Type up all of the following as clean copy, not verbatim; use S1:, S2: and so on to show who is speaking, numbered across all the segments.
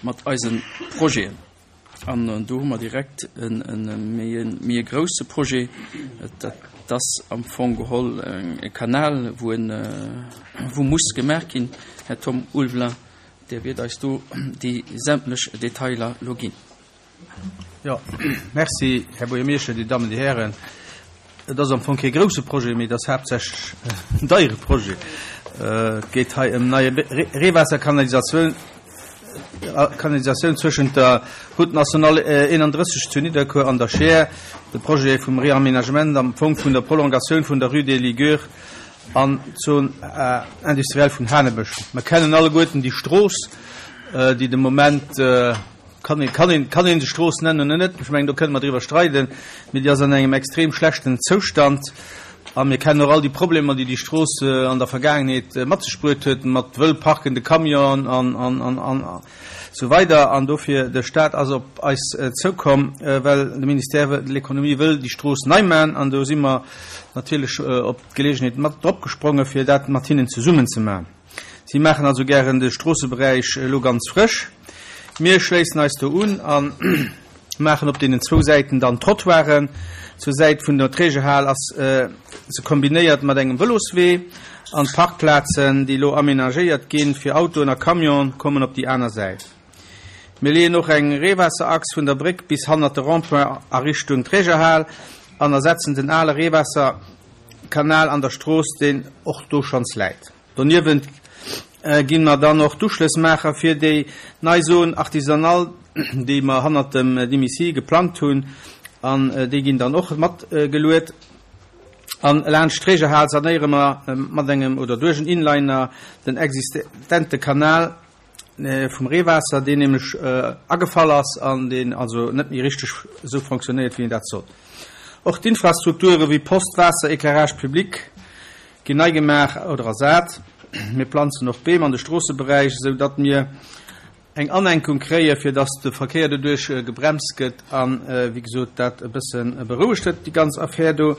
S1: mat eise Projeten. An do hu mer direkt e méi e grousse Projet. Dat ass am Fong geholl e Kanal, wou en, wou muss gemaach ginn. Här Tom Ulveling, Dir wiert eis do déi sämtlech Detailer elo ginn.
S2: Jo, merci, Här Buergermeeschter, Dir Dammen, Dir Hären. Et ass am Fong kee grousse Projet, mee et ass haaptsächlech en deiere Projet. Et geet hei ëm nei Reewaasserkanalisatioun, Kanalisatioun zwëschent der Route nationale 31 zu Nidderkuer an der Scheer, de Projet vum Réaménagement am Fong vun der Prolongatioun vun der Rue des Ligures an d'Zone industrielle vun Hanebësch. Mer kennen alleguerten déi Strooss, déi de Moment, kann een, kann een, kann een se Strooss nennen oder net, ech mengen do kënne mer driwwer streiden, mee déi ass an engem extrem schlechten Zoustand. A mir kennen och all déi Problemer, déi déi Strooss an der Vergaangenheet mat sech bruet huet, mat wëll parkende Camionen an, an, an, an esou weider. An dofir, de Stat ass op eis zoukomm, well de Ministère de l'Économie wëll déi Strooss nei maachen. An do si mer natierlech op d'Geleegenheet mat dropgesprongen, fir dat mat hinnen zesummen ze maachen. Si maachen also gären de Stroosseberäich elo ganz frësch. Mir schléissen eis do un a maachen op deenen zwou Säiten dann Trottoiren. Zur Säit vun der Trägerhal ass se kombinéiert mat engem Vëloswee an d'Parkplazen, déi elo amenagéiert ginn fir Autoen a Camionen, kommen op déi aner Säit. Mir leeën och eng Reewaasserachs vun der Bréck bis hannert de Rond-point a Richtung Trägerhal an ersetzen den ale Reewaasserkanal an der Strooss, deen och do schonns läit. Doniewent ginn mer dann och d'Uschlëss maache fir déi nei Zone artisanale, déi mer hannert dem Dimisi geplangt hunn, an déi ginn dann och mat geluet. An laanscht d'Trägerhal sanéiere mer mat engem oder duerch en Inliner den existente Kanal vum Reewaasser, deen nämlech agefall ass an deen also net méi richteg esou fonctionnéiert, wéi en dat soll. Och d'Infrastrukture wéi Post, Waasser, Éclairage public ginn nei gemaach oder ersat. Mir planzen och Beem an de Stroosseberäich, esou datt mir eng Anenkung kréie fir datt de Verkéier doduerch gebremst gëtt an, wéi gesot, dat e bësse berouegt huet, déi ganz Affär do.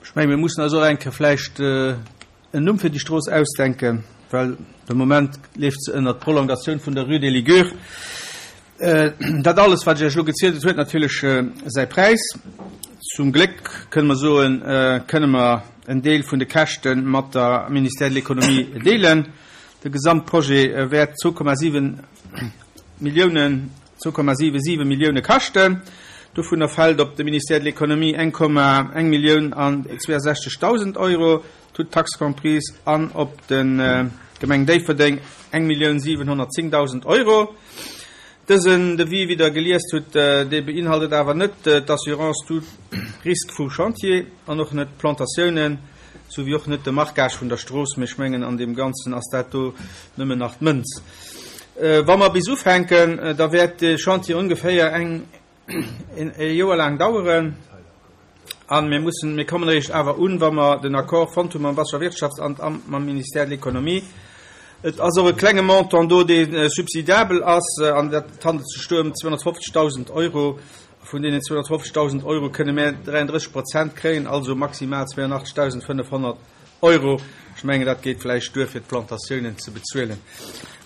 S2: Ech menge mir mussen eis och eng Kéier vläicht en Numm fir déi Strooss ausdenken, well de Moment leeft se ënnert Prolongatioun vun der Rue des Ligures. Dat alles, wat ech Iech elo gezielt huet, huet natierlech säi Präis. Zum Gléck, kënne mer soen, kënne mer en Deel vun de Käschte mat der Ministère de l'Économie deelen. De Gesamtprojet wäert 2,7 Milliounen, 2,77 Millioune kaschten. Dovunner fält op de Ministère de l'Économie 1,1 Millioun an 62.000 Euro, toutes taxes comprises, an op de Gemeng Déifferdeng 1.710.000 Euro. Dësen Devis, wéi Der geliest hutt, dee beinhaltet awer net d'Assurance tout risque vum Chantier an och net d'Plantatiounen, sou wéi och net de Marquage vun der Strooss. Mee ech mengen, an deem Ganzen ass dat do nëmmen nach d'Mënz. Wa mer bis ufänken, da wäert de Chantier ongeféier eng e Joer laang daueren. A mir mussen, mir kommen eréischt awer un, wa mer den Accord fonnt hu mam Wasserwirtschaftsamt a mam Ministère de l'Économie. Et ass och e klenge Montant do, dee subsidiabel ass, an dat handelt sech do ëm 250.000 Euro. Vun deenen 250.000 Euro kënne mär 33 Prozent kréien, also maximal 82.500 Euro. Ech mengen, dat geet vläicht duer, fir d'Plantatiounen ze bezuelen.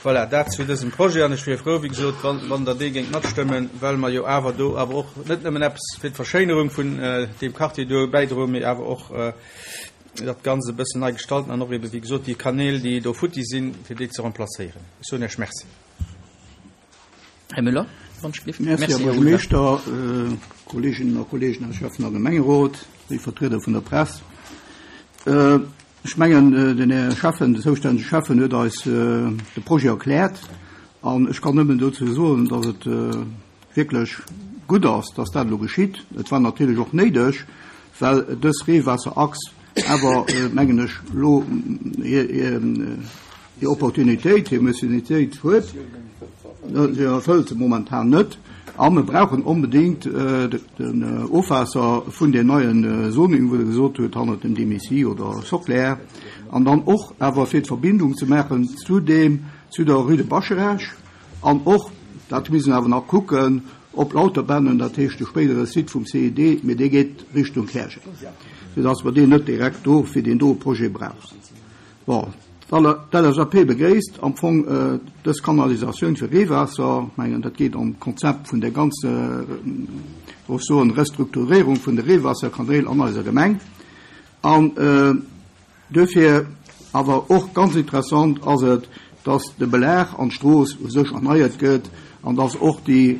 S2: Voilà, dat zu dësem Projet. An ech wier frou, wéi gesot, wann, wann Der dee géingt matstëmmen, well mer jo awer do awer och net nëmmen eppes fir d'Verschéinerung vun deem Quartier do bäidroen, mee awer och dat Ganzt e bëssen nei gestalten an och eebe, wéi gesot, déi Kanäl, déi do futti sinn, fir déi ze remplacéieren. Ech soen Iech Merci.
S1: Här Müller, wann ech gelift.
S3: Merci, Här Buergermeeschter, Kolleeginnen a Kolleegen aus Schäffen a Gemengerot, léif Vertrieder vun der Press. Ech mengen, den Här Schäffen, den zoustännege Schäffen huet eis de Projet erkläert an ech kann nëmmen dozou soen, datt et wierklech gutt ass, datt dat elo geschitt. Et war natierlech och néideg, well dës Reewaasserachs awer, mengen ech, elo hir Opportunitéit, hir Missionitéit huet. Se erfëllt se momentan net. A mir brauchen onbedéngt den Ofwaasser vun deem neien Zoning, wou Der gesot hutt, hannert dem Demici oder Soclair. An dann och awer fir d'Verbindung ze maachen zu deem, zu der Rue de Bascharage. An och, dat misst een awer nach kucken, op Lauterbännen, dat heescht de spéidere Site vum CID, mee dee geet Richtung Käerjeng, soudass mer deen net direkt do fir deen doe Projet brauchen. Bon. D'LSAP begréisst am Fong dës Kanalisatioun fir Reewaasser. Ech mengen, dat geet am Konzept vun der ganzer, soll ech soen, Restrukturierung vun de Reewaasserkanäl an eiser Gemeng. An duerfir awer och ganz interessant ass et, dass de Belag an d'Strooss u sech erneiert gëtt an dass och déi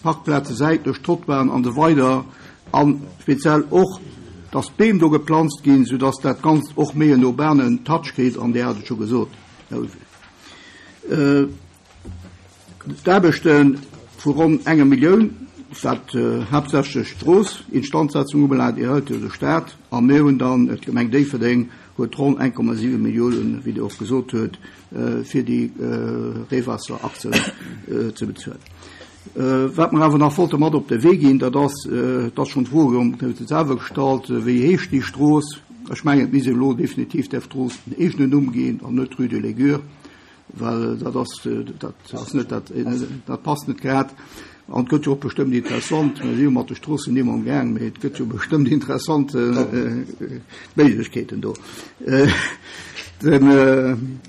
S3: Parkplaze säitlech, Trottoiren an esou weider A speziell och, dass d'Beem do geplanzt ginn, soudass dat Ganzt och méi en urbanen Touch kritt, an Dir hat et scho gesot, Här Ulveling. D'Aarbechte vu ronn enger Millioun, wat haaptsächlech d'Strooss-Instandsetzung ubelaangt, erhëlt jo de Stat, a mir hunn dann, d'Gemeng Déifferdeng huet ronn 1,7 Milliounen, wéi Dir och gesot huet, fir déi Reewaasserachsen ze bezuelen. Wat mer awer nach wollte mat op de Wee ginn, dat ass, et ass schonn d'Fro gouf et selwer gestallt, Wéi heescht déi Strooss? Ech mengen, et misst elo definitiv där Strooss en eegenen Numm ginn an net Rue de Légur, well dat ass, dat ass net dat, dat passt net grad. An et gëtt jo och bestëmmt interessant, mir si jo mat de Stroossennimm amgaang, mee et gëtt jo bestëmmt interessant Méiglechkeeten do. Den.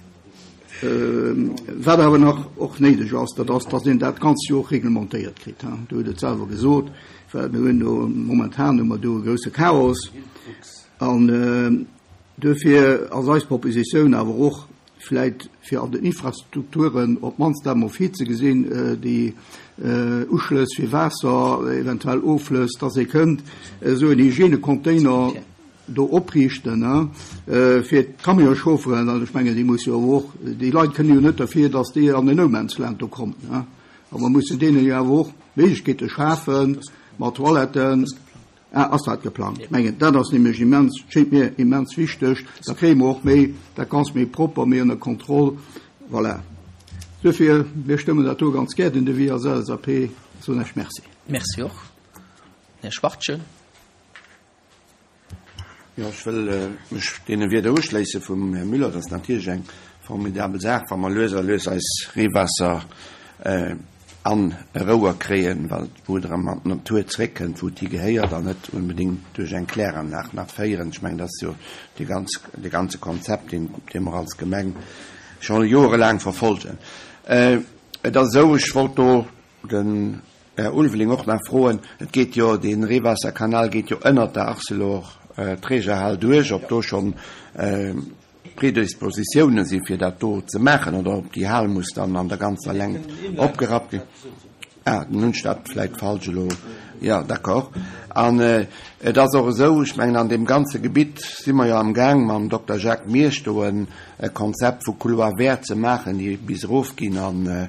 S3: Wat awer nach och néideg ass, dat ass, datt een dat Ganzt jo och reglementéiert kritt. Dir hutt et selwer gesot, well mir hunn do momentan hu mer do e grousse Chaos. An duerfir ass eis Propositioun awer och vläicht fir an den Infrastrukturen op d'mannst dat emol virzegesinn, déi Uschlëss fir Waasser, eventuell Offlëss, datt ee kënnt esou en Hygiènecontainer do opriichten, fir d'Camionschaufferen, an ech mengen, déi musse jo awer och, déi Leit kënnen jo net derfir, datt déi an en No-Man's-Land do kommen, a mer mussen deenen jo awer och Méiglechkeete schafe mat Toiletten. Ah, ass dat geplangt? Ech mengen, dat ass nämlech immens, schéngt mir immens wichteg, da kréie mer och méi, dat Ganzt méi propper, méi ënner Kontroll. Voilà. Duerfir, mir stëmmen dat do ganz gär, den Devis als LSAP, soen ech Merci.
S1: Merci och. Här Schwachtgen.
S4: Jo, ech wëll mech deene Wierder uschléisse vum Här Müller. Dat ass natierlech eng formidabel Saach, wa mer lues a lues eis Reewaasser an e Rouer kréien, well wou et erëm an d'Natur zréckkënnt, wou et hi gehéiert, an net onbedéngt duerch eng Kläranlag nach féieren. Ech mengen, dat ass jo dee ganz, dee ganze Konzept, deen, dee mer als Gemeng scho joerelaang verfolgen. Et ass esou, ech wollt do den Här Ulveling och nach froen, et geet jo, dee Reewaasserkanal geet jo ënnert der Arcelor-Trägerhal duerch, ob do schonn Predispositiounen si fir dat do ze maachen oder ob déi Hal muss dann an der ganzer Längt opgerappt ginn. Ah, dann hunn ech dat vläicht falsch elo. Jo, d'accord. An et ass och esou, ech mengen an deem ganze Gebitt si mer jo amgaang mam Dokter Jacques Miersch do e Konzept vu Couloir vert ze maachen, déi bis erofginn an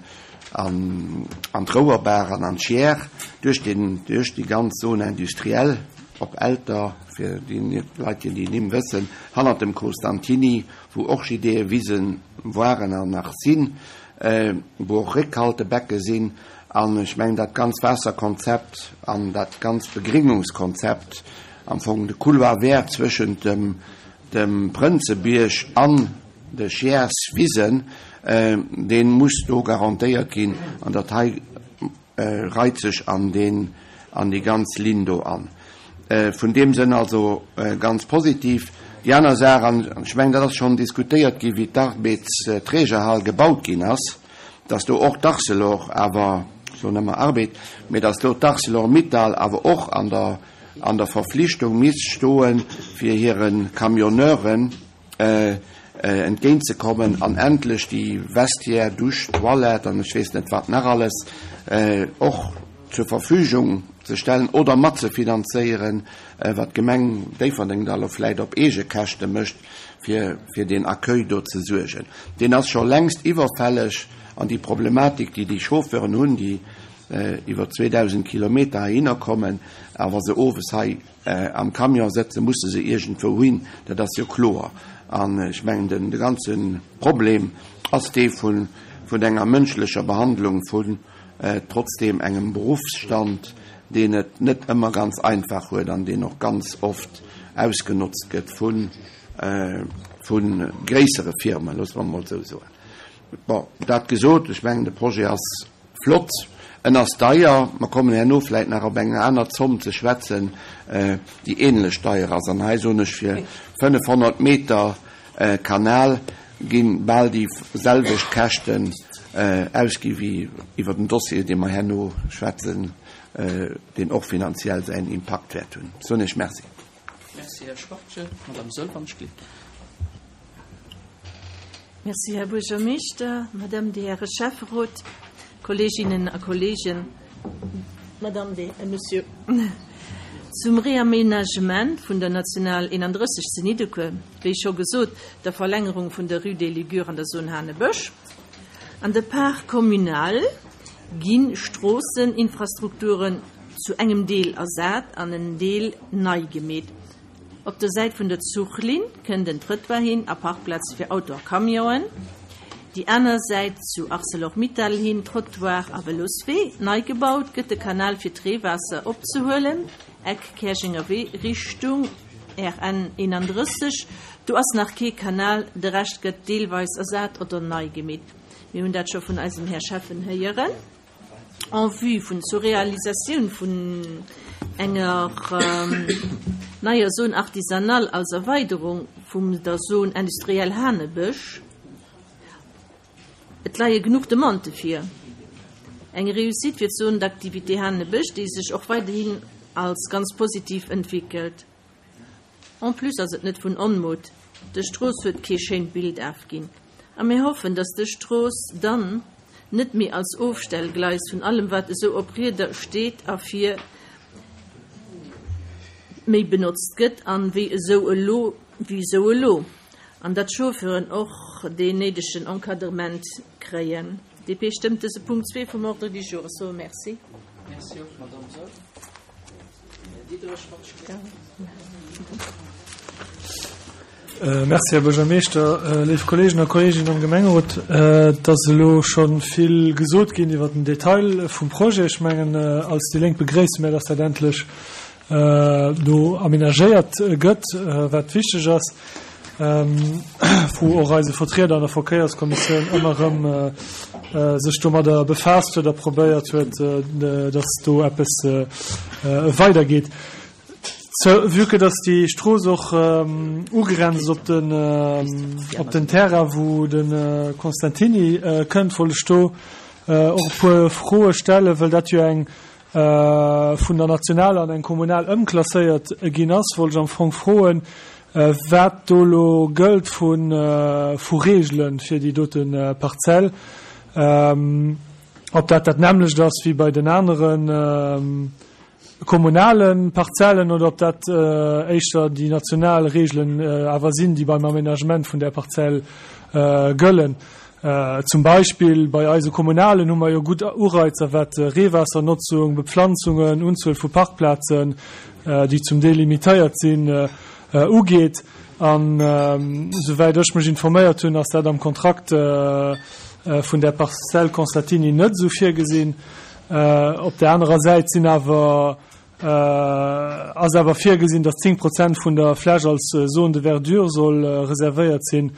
S4: an an d'Rouerbaach an an d'Chiers, duerch den, duerch déi ganz Zone industrielle op Elter, fir déi Leit, déi déi Nimm wëssen, hannert dem Costantini, wou Orchideeëwise waren an nach sinn, wou och Réckhaltebecke sinn. An ech mengen, dat ganz Waasserkonzept an dat ganz Begringungskonzept, am Fong de Couloir vert zwëschent dem, dem Prënzebierg an de Chiers-Wisen, dee muss do garantéiert ginn an dat hei reit sech an deen, an déi ganz Linn do an. Vun deem Sënn also ganz positiv. Déi aner Saach, an ech mengen, dat ass schonn diskutéiert gi wéi d'Arbedsträgerhal gebaut ginn ass, dass do och d'Arcelor awer, ech soen ëmmer Arbed, mee dass do d'Arcelor-Mittal awer och an der, an der Verflichtung misst stoen, fir hire Camionneuren, entgéint ze kommen an endlech déi Vestiaire, Dusch, Toilette an ech weess net wat nach alles och zur Verfügung ze stellen oder matzefinanzéieren, wat d'Gemeng Déifferdeng da elo vläicht op eege Käschte mécht, fir fir deen Accueil do ze suergen. Deen ass scho längst iwwerfälleg an déi Problematik, déi déi Chauffeuren hunn, déi iwwer 2.000 Kilometer heihinner kommen a wa se owes hei Am Camion sëtzen, musse se iergendwou hin, dat ass jo kloer. An ech mengen, de ganze Problem ass dee vun enger mënschlecher Behandlung vun trotzdeem engem Beruffsstand, deen et net ëmmer ganz einfach huet an deen och ganz oft ausgenotzt gëtt vu gréissere Firmen, loosse mer emol esou soen. Bon, dat gesot, ech mengen, de Projet ass flott, en ass deier. Mer kommen herno vläit nach op eng aner Zomm ze schwätzen, déi ähnlech deier ass. An hei soen ech, fir 500 Meter. Kanal gi bal déi selwecht Käschten ausgi wéi iwwer den Dossier, dee mer herno schwätzen, deen och finanziell säin Impakt wäert hunn. Soen ech Merci.
S1: Merci, Här Schwachtgen. Madame Sölvanschlitt.
S5: Merci, Här Buergermeeschter, Madame, Dir Häre Schäfferot, Kolleeginnen a Kolleegen, Madame, Dir, Monsieur. Zum Réaménagement vun der National 31 zu Nidderkuer, wéi scho gesot, der Verlängerung vun der Rue des Ligures an der Zone Hanebësch an de Parc communal gi Stroosseninfrastrukturen zu engem Deel ersat an en Deel nei gemeet. Op der Säit vun der Zuchlinn kënnt en Trëttoir hin a Parkplaze fir Auto a Camionen. Déi aner Säit zu Arcelor-Mittal hin Trottoir a Vëloswee. Nei gebaut gëtt de Kanal fir d'Reewaasser opzehuelen, Eck Käerjenger Wee Richtung RN 31. Do ass nach kee Kanal, de Rescht gëtt deelweis ersat oder nei gemeet. Mir hunn dat scho vun eisem Här Schäffen héieren. En vue vun zur Realisatioun vun enger neier Zone artisanale als Erweiderung vum der Zone industrielle Hanebësch. Et leie genuch Demandë vir. Eng Réussite fir d'Zone d'activité Hanebësch, déi sech och weiderhin als ganz positiv entwéckelt. En plus ass et net vun Onmut, dës Strooss huet kee schéint Bild afginn. A mir hoffen, dass dës Strooss dann net méi als Ofstellgleis vun allem wat esou op Rieder steet a fir méi benotzt gëtt an wéi esou elo wéi esou elo, an datt d'Chauffeuren och deen néidegen Encadrement kréien. DP stëmmt dëse Punkt 2 vum Ordre du jour. Ech soe Merci.
S1: Merci och, Madame Saeul.
S6: Merci, Här Buergermeeschter. Léif Kolleegen a Kolleeginnen am Gemengerot, et ass elo scho vill gesot ginn iwwer den Detail vum Projet. Ech mengen, als déi Lénk begréisse mir, dass dat endlech do amenagéiert gëtt, wat wichteg ass, wou och eise Vertrieder an der Verkéierskommissioun ëmmer erëm sech domadder befaasst huet a probéiert huet, dass do eppes weidergeet. Vue que dass déi Strooss och ugrenzt op den, op den Terrain, wou de Constantini kënnt, wollt ech do och e puer Froe stellen, well dat jo eng vun der nationaler an eng kommunal ëmklasséiert ginn ass, wollt ech am Fong froen, wat do elo gëllt vu Reegele fir déi dote Parzell, ob dat dat nämmlecht ass wéi bei den anere kommunale Parzellen oder ob dat éischter déi national Reegelen awer sinn, déi beim Aménagement vun där Parzell gëllen. Zum Beispill bei eise Kommunalen hu mer jo gutt Ureizer wat Reewaassernotzung, Bepflanzungen, Unzuel vu Parkplazen, déi zum Deel limitéiert sinn, ugeet. An esouwäit ech mech informéiert hunn, ass dat am Kontrakt vun där Parzell Constatini net esou virgesinn. Op där anerer Säit sinn awer ass awer virgesinn, datt 10 Prozent vun der Fläch als Zone de verdure soll reservéiert sinn,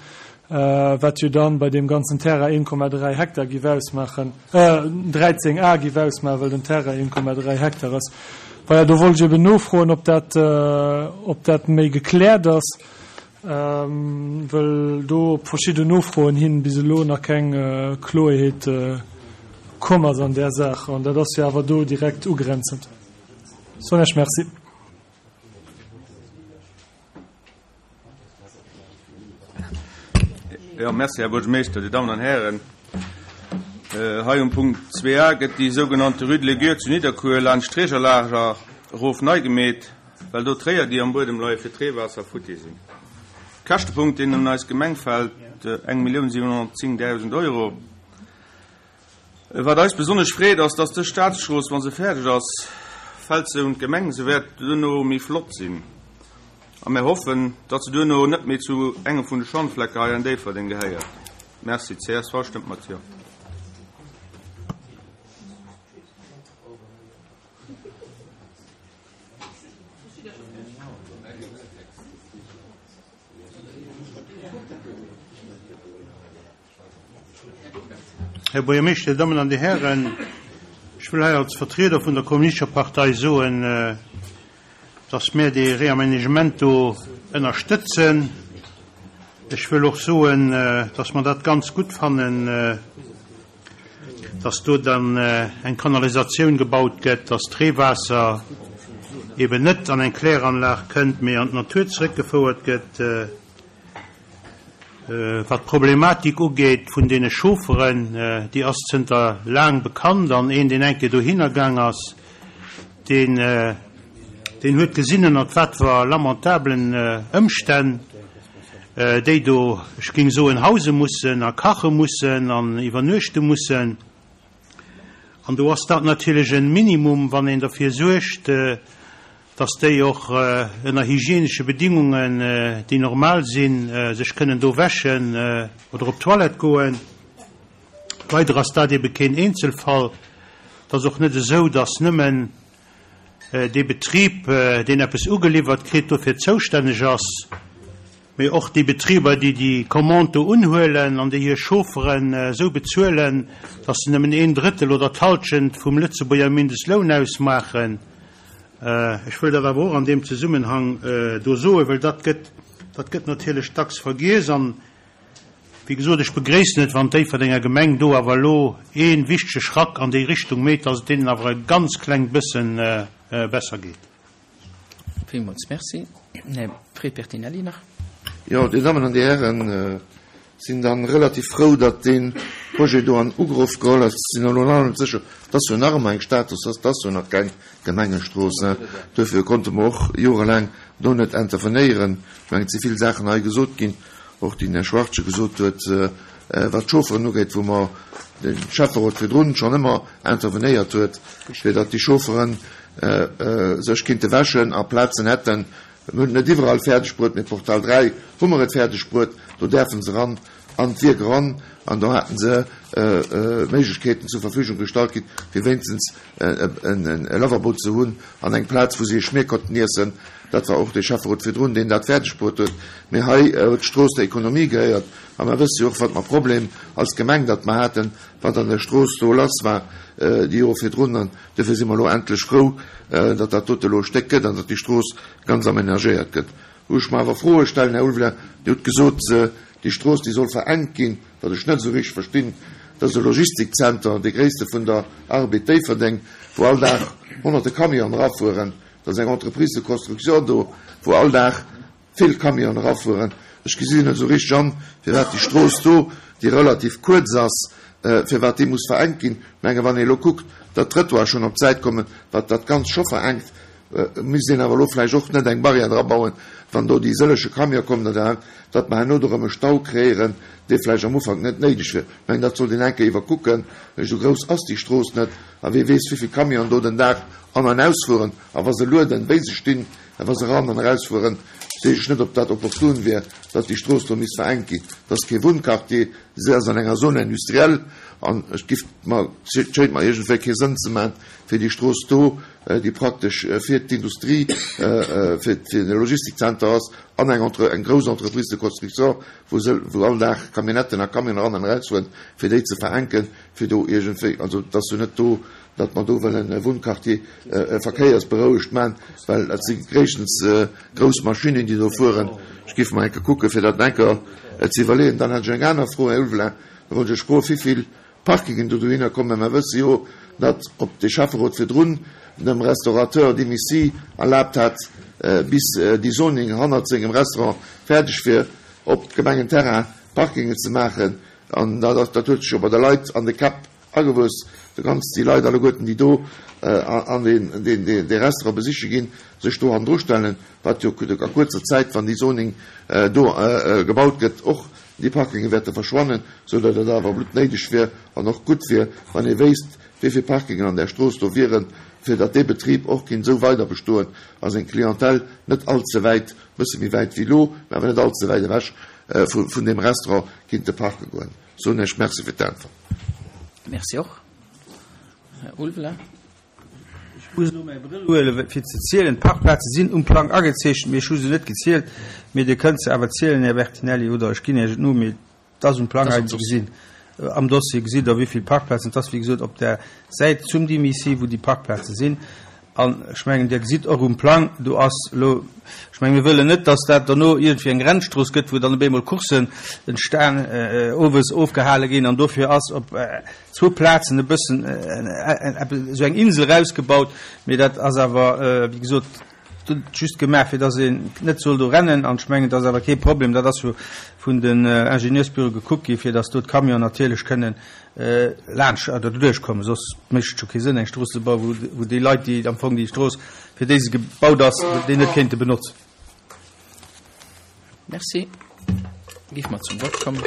S6: wat jo dann bei deem ganzen Terrain 1,3 Hektar giff ausmaachen, 13 Ar giff ausmaachen, well den Terrain 1,3 Hektar ass. Voilà, do wollt ech eben nofroen, ob dat, ob dat méi gekläert ass, well do op verschidden Nofroen hin bis elo nach keng Kloeerheet komm ass an där Saach. An dat ass jo awer do direkt ugrenzend. Soen ech Merci.
S2: Jo, merci, Här Buergermeeschter, Dir Dammen an Hären. Hei um Punkt 2a gëtt déi sougenannte Rue de Léguer zu Nidderkuer laanscht d'Trägerlager erof nei gemeet, well do d'Réier, déi am Buedem leie fir d'Reewaasser, futti sinn. Käschtepunkt, deen un eis Gemeng fält, 1.710.000 Euro. Wat eis besonnesch freet, ass, dass dës Staatsstrooss, wa se fäerdeg ass, fält se un d'Gemeng. Se wäert duerno méi flott sinn a mir hoffen, datt se duerno net méi zu engem vun de Schandflecke hei an Déifferdeng gehéiert. Merci. Csv stëmmt mat Jo.
S7: Här Buergermeeschter, Dir Dammen an Dir Hären, ech wëll hei als Vertrieder vun der Kommunistescher Partei soen, dass mir dee Réaménagement do ënnerstëtzen. Ech wëll och soen, dass mer dat ganz gutt fannen, dass do dann eng Kanalisatioun gebaut gëtt, dass d'Reewaasser eben net an eng Kläranlag kënnt, mee an d'Natur zeréckgefouert gëtt. Wat d'Problematik ugeet vun deene Chaufferen, déi ass zënter laang bekannt an een, deen eng Kéier dohinner gaang ass, deen, deen huet gesinn, ënnert wat fir lamentablen Ëmstänn déi do, ech géing soen, hause mussen a kache mussen an iwwernuechte mussen. An do ass dat natierlech e Minimum, wann een derfir suergt, dass déi och ënner hygienesche Bedingungen, déi normal sinn, sech kënnen do wäschen oder op d'Toilette goen. Leider ass dat ebe keen Eenzelfall. Et ass och net esou, dass nëmmen dee Betrib, deen eppes ugeliwwert kritt, dofir zoustänneg ass, mee och déi Betriber, déi déi Commande do unhuelen an déi hir Chaufferen esou bezuelen, dass se nëmmen een Drëttel oder d'Halschent vum Lëtzebuerger Mindestloun ausmaachen. Ech wëll dat awer och an deem Zesummenhang do soen, well dat gëtt, dat gëtt natierlech dacks vergiess. An, wéi gesot, ech begréissen et, wann d'Déifferdenger Gemeng do awer elo ee wichtege Schrack an déi Richtung méit, dass et deenen awer e ganz klengt bësse besser geet.
S1: Villmools Merci. Här Fred Bertinelli nach.
S8: Jo, Dir Dammen an Dir Hären, sinn dann relativ frou, datt dee Projet do an Ugrëff geholl ass. Sinn elo nach net sécher, et ass jo nach ëmmer eng Status, et ass jo nach keng Gemengestrooss, ne? Duerfir konnte mer och jorelaang do net intervenéieren. Ech mengen, et si vill Saachen hei gesot ginn, och déi den Här Schwachtgen gesot huet, wat d'Chaufferen ugeet, wou mer de Schäfferot virdrun schonn ëmmer intervenéiert huet, fir datt déi Chaufferen sech kinnte wäschen a Plazen hätten, Mir hunn et net iwwerall fäerdeg bruet, mee Portal 3 hu mer et fäerdeg bruet. Do däerfe se eran an d'Wierk eran an do haten se Méiglechkeeten zur Verfügung gestallt kritt, fir wéinstens e Lavabo ze hunn an eng Plaz, wou se hir Schmier konnten iessen. Dat war och de Schäfferot virdrun, deen dat fäerdeg bruet huet. Mee hei huet d'Strooss der Ekonomie gehéiert a mer wësse jo och, wat mer Problem als Gemeng datt mer haten, wat an der Strooss do lass war déi Jore virdrun. An Duerfir si mer elo endlech frou, datt dat dote elo e Stéck gëtt an datt déi Strooss ganz amenagéiert gëtt. Wou ech mer awer Froe stellen, Här Ulveling, Dir hutt gesot, déi Strooss, déi soll verengt ginn, wat ech net esou richteg verstinn. Dat ass e Logistikzenter, dee gréisste vun der Arbed Déifferdeng, wou all Dag honnerte Camionen erafueren. Dat ass eng Entreprise de construction do, wou all Dag vill Camionen erafueren. Ech gesinn net esou richteg an, firwat déi Strooss do, déi relativ kuerz ass, firwat déi muss verengt ginn. Ech menge wann ee elo kuckt, datt d'Trëttoire schonn op d'Säit kommen, wat dat Ganzt scho verengt, misst een awer elo vläicht och net eng Barrière drabauen, wann do déi sëllege Camione kommen, datt mer herno do erëm e Stau kreéieren, dee vläicht am Ufank net néideg wier. Ech mengen, dat sollt een eng Kéier iwwerkucken. Esou grouss ass déi Strooss net a wee weess, wéivill Camionen do den Dag an an ausfueren a wa se lueden, wéi se stinn. A wa se eran an erausfueren, weess ech net, ob dat opportun wier, datt déi Strooss do misst verengt ginn. Et ass kee Wunnquartier, se ass an enger Zone industrielle an et giff mer, et schéint mer iergendwéi kee Sënn ze maachen, fir déi Strooss do, déi praktesch fir d'Industrie, fir de Logistikzenter ass an eng Entre, eng grouss Entreprise de construction, wou se, wou all Dag Camionnetten a Camionen eran an erausfueren, fir déi ze verenken, fir do iergendwéi, also et ass jo net do, datt mer do wëllen e Wunnquartier verkéiersberouegt man, well dat si gréisstens grouss Maschinnen, déi do fueren. Ech géif mer eng Kéier kucken, fir dat eng Kéier ze iwwerleeën. Dann hätt ech eng aner Fro, Här Ulveling. Da wollt ech Iech froen, wéivill Parkingen do dohinner kommen. Mer wësse jo, datt op de Schäfferot virdrun dem Restaurateur Demissy erlaabt hat, bis déi Zoning hannert sengem Restaurant fäerdeg wier, op Gemengenterrain Parkingen ze maachen. An dat huet sech jo bei de Leit an de Käpp Agewuess, de ganz déi Leit alleguerten, déi do an deen dee Restaurant besiche ginn, sech do hannendru stellen, wat jo a kuerzer Zäit, wann déi Zoning do gebaut gëtt, och déi Parkinge wäerte verschwannen, sou datt et awer bluttnéideg wier an och gutt wier, wann ee wéisst, wéi vill Parkingen an där Strooss do wieren, fir datt dee Betrib och kinnt esou weider bestoen a seng Clientèle net all ze wäit, e bësse méi wäit wéi elo, mä awer net all ze wäit ewech vun deem Restaurant kinnte parke goen. Soen Iech Merci fir d'Äntwert.
S1: Merci och. Här Ulveler.
S2: Ech muss elo mäi Brëll huelen, fir ze zielen. D'Parkplaze sinn um Plang agezeechent, mee ech hu se net gezielt. Mee Dir kënnt se awer zielen, Här Bertinelli, oder ech ginn Iech et no. Mee et ass um Plang hei ze gesinn. Am Dossier gesitt Der, wéi vill Parkplazen et ass. Wéi gesot, op der Säit zum Dimisi, wou déi Parkplaze sinn. An ech mengen, Dir gesitt och um Plang, do ass elo, ech mengen, mir wëllen net, dass dat dono iergendwéi eng Rennstrooss gëtt, wou dann op eemol Courssen entstan, owes ofgehale ginn. An dofir ass op zwou Plazen e bëssen esou eng Insel erausgebaut. Mee dat ass awer, wéi gesot, just gemaach, fir dass een net soll do rennen. An ech mengen, dat ass awer kee Problem. Dat ass jo vun den Ingenieursbüroe gekuckt gi, fir dass do d'Camionen natierlech kënnen laanscht oder doduerch kommen, soss mécht et jo kee Sënn eng Strooss ze bauen, wou, wou déi Leit, déi am Fong déi Strooss, fir déi se gebaut ass, déi net kéinte benotzen.
S1: Merci. Géif mer zum Vott kommen.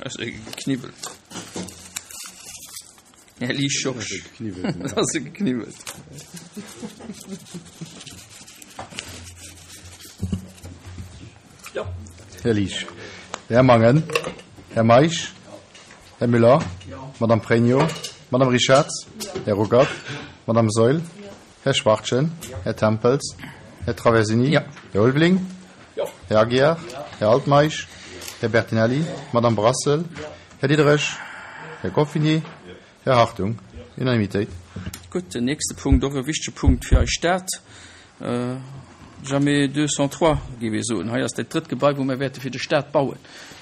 S1: Ass e gekniwwelt. Här Lee Schorsch. Ass e gekniwwelt.
S9: Här Liesch. Här Mangen. Här Meisch. Här Müller. Madame Pregno. Madame Richarz. Här Ruckert. Madame Saeul. Här Schwachtgen. Här Tempels. Här Traversini. Här Ulveling. Här Aguiar. Här Altmeisch. Här Bertinelli. Madame Brassel. Här Diderich. Här Goffinet. Här Hartung. Unanimitéit.
S1: Gutt, den nächste Punkt, och e wichtege Punkt fir eis Stad, jamais 203, géif ee soen. Hei ass dat drëtt Gebai, wou mir wäerte fir de Stat bauen.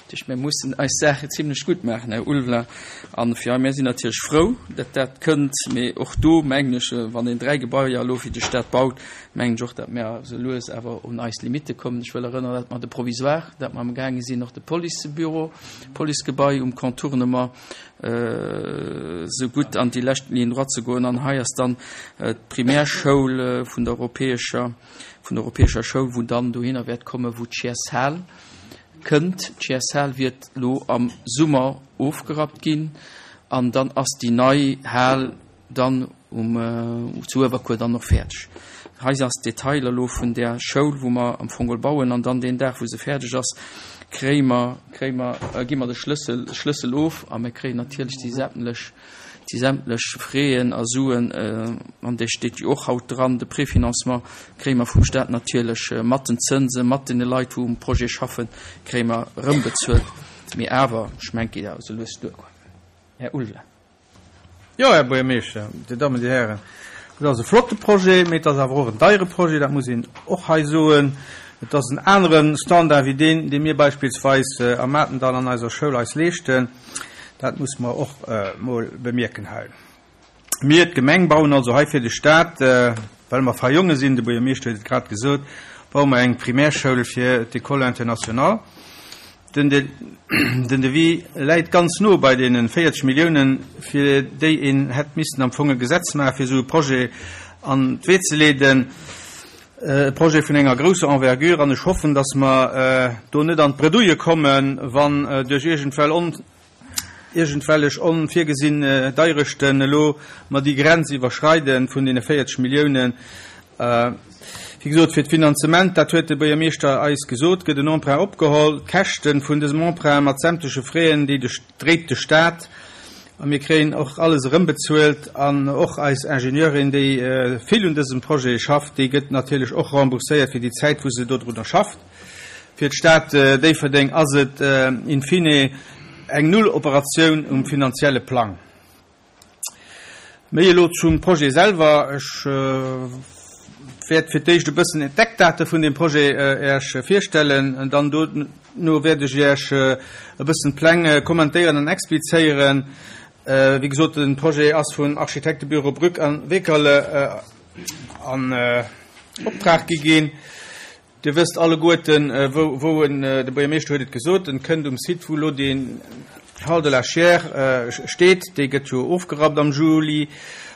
S1: Dat heescht, mir mussen eis Saache zimlech gutt maachen, Här Ulveling. An fir mir sinn natierlech frou, datt dat kënnt. Mee och do mengen ech, wann een dräi Gebaier elo fir de Stat baut, mengen ech och, datt mir esou lues awer un eis Limitte kommen. Ech wëll erënneren, datt mer de Provisoire, dat mer amgaange sinn, och de Policebüro, Policegebai um Contournement, esou gutt an déi lescht Ligne droite ze goen. An hei ass dann d'Primärschoul vun der europäescher, vun der europäescher Schoul, wou dann dohinner wäert kommen, wou d'Chiers-Hal kënnt. D'Chiers-Hal wiert elo am Summer ofgerappt ginn an dann ass déi nei Hal dann um zu Uewerkuer dann och fäerdeg. Hei ass d'Detailer elo vun där Schoul, wou mer am Fong geholl bauen an dann deen Dag, wou se fäerdeg ass, kréie mer, kréie mer, gi mer de Schlëssel, Schlëssel of a mir kréien natierlech déi sämtlech, déi sämtlech Fräen a Suen, an dee steet jo och haut dran, de Préfinancement kréie mer vum Stat natierlech mat den Zënsen, mat deene Leit, wou um Projet schaffen, kréie mer erëmbezuelt. Mee awer, ech mengen, et geet awer esou lues duer, quoi. Här Ulveling.
S2: Jo, Här Buergermeeschter, Dir Dammen, Dir Hären, et ass e flotte Projet, mee et ass awer och en deiere Projet, dat muss een och hei soen. Et ass en anere Standard wéi deen, dee mir beispillsweis am Matendall an eiser Schoul eis leeschten. Dat muss mer och emol bemierken hei. Mir, d'Gemeng, bauen also hei fir de Stat, well mer fei Jonge sinn, de Buergermeeschter huet et grad gesot, baue mer eng Primärschoul fir d'École internationale. Den Devis läit ganz no bei deene 40 Milliounen, fir déi een hätt missten am Fong e Gesetz maachen, fir esou e Projet an d'Wee ze leeden. E Projet vun enger grousser Envergure. An ech hoffen, datt mer do net an d'Bredouille kommen, wann duerch iergendwell iergendwellech onvirgesinn Deierechten elo mer déi Grenz iwwerschreide vun deene 40 Milliounen. Wéi gesot, fir d'Finanzement, dat huet de Buergermeeschter eis gesot, gëtt en Emprunt opgeholl. D'Käschte vun dësem Emprunt mat sämtleche Fräen, déi dréit de Stat a mir kréien och alles erëmbezuelt. An och eis Ingenieurin, déi vill un dësem Projet schafft, déi gëtt natierlech och rembourséiert fir déi Zäit, wou se dodrunner schafft. Fir d'Stad Déifferdeng ass et in fine eng Nulloperatioun um finanzielle Plang. Méi elo zum Projet selwer. Ech wäert fir d'éischt e bëssen d'Eckdate vun deem Projet Äech virstellen. Dann dono wäert ech Iech e bëssen d'Pläng kommentéieren an explizéieren. Wéi gesot, de Projet ass vun Architektebüro Brück a Wekerle an Optrag gi ginn. Dir wësst alleguerten, wou en, de Buergermeeschter huet et gesot, en kënnt um Site, wou elo dee Hall de la Chiers steet. Dee gëtt jo ofgerappt am Juli,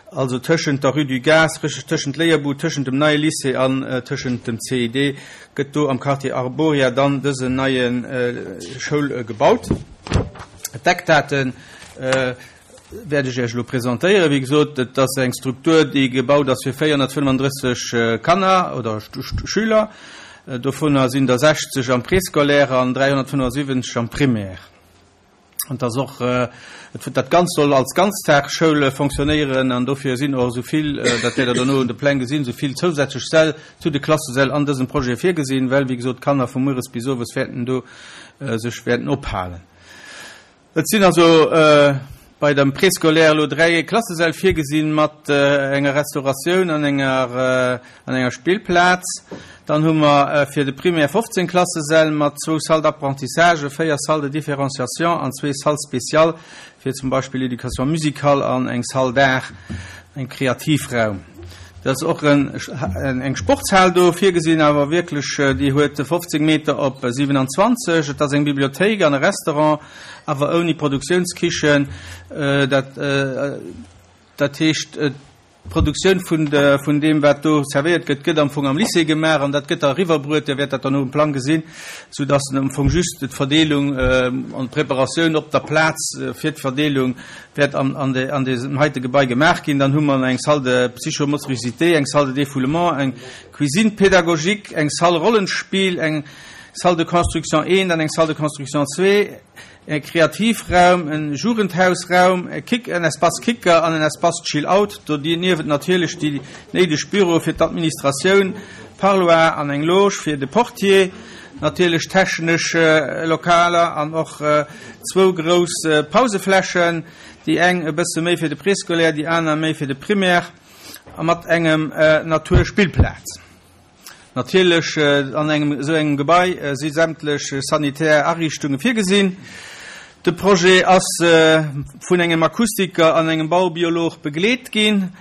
S2: also tëschent der Rue du Gaz, tëschent Léierbud, tëschent dem neie Lycée an tëschent dem CID gëtt do am Quartier Arboria dann dësen neie Schoul gebaut. D'Eckdaten. Wäert ech Iech elo presentéieren. Wéi gesot, et ass eng Struktur, déi gebaut ass fir 435 Kanner oder Schüler. Dovunner sinn der 60 am Préscolaire an 375 am Primaire. An et ass och, dat Ganzt soll als Ganztagsschoul fonctionnéieren an dofir sinn och esou vill, dat wäert Der dono un de Pläng gesinn, esou vill zousätzlech Säll zu de Klassesäll an dësem Projet virgesinn, well, wéi gesot, d'Kanner vu mueres bis owes wäerten do sech wäerten ophalen. Et sinn also. Bei dem Préscolaire elo 3 Klassesäll virgesinn mat enger Restauratioun an enger an enger Spillplaz. Dann hu mer fir de Primaire 15 Klassesäll mat zwou Salles d'apprentissage, 4 Salles de différenciation an zwee Salles spéciales fir zum Beispill Éducation musicale an eng Salle d'art, eng Kreativraum. Et ass och eng Sportshal do virgesinn, awer wierklech déi huet 15 Meter op 27. Et ass eng Bibliothéik an e Restaurant, awer ouni Produktiounskichen. Dat, dat heescht, d'Produktioun vun de, vun deem, wat do servéiert gëtt, gëtt am Fong am Lycée gemaach an dat gëtt da eriwwerbruet. Dir wäert dat dann um Plang gesinn, soudass am Fong just d'Verdeelung an d'Preparatioun op der Plaz fir d'Verdeelung wäert an, an de, an deesem heite Gebai gemaach ginn. Dann hu mer eng Salle de psychomotricité, eng Salle de défoulement, eng Cuisine pédagogique, eng Salle Rollenspiel, eng Salle de construction 1 an eng Salle de construction 2, e Kreativraum, e Jugendhausraum, e Kick, en Espace Kicker an en Espace Chill-out. Doniewent natierlech déi néideg Büroe fir d'Administratioun, Parloir an eng Loge fir de Portier, natierlech technesch Lokaler an och zwou grouss Pauseflächen, déi eng e bësse méi fir de Préscolaire, déi aner méi fir de Primaire a mat engem Naturspillplaz. Natierlech, an engem esou engem Gebai si sämtlech sanitär Ariichtunge virgesinn. De Projet ass vun engem Akustiker an engem Baubiolog begleet ginn.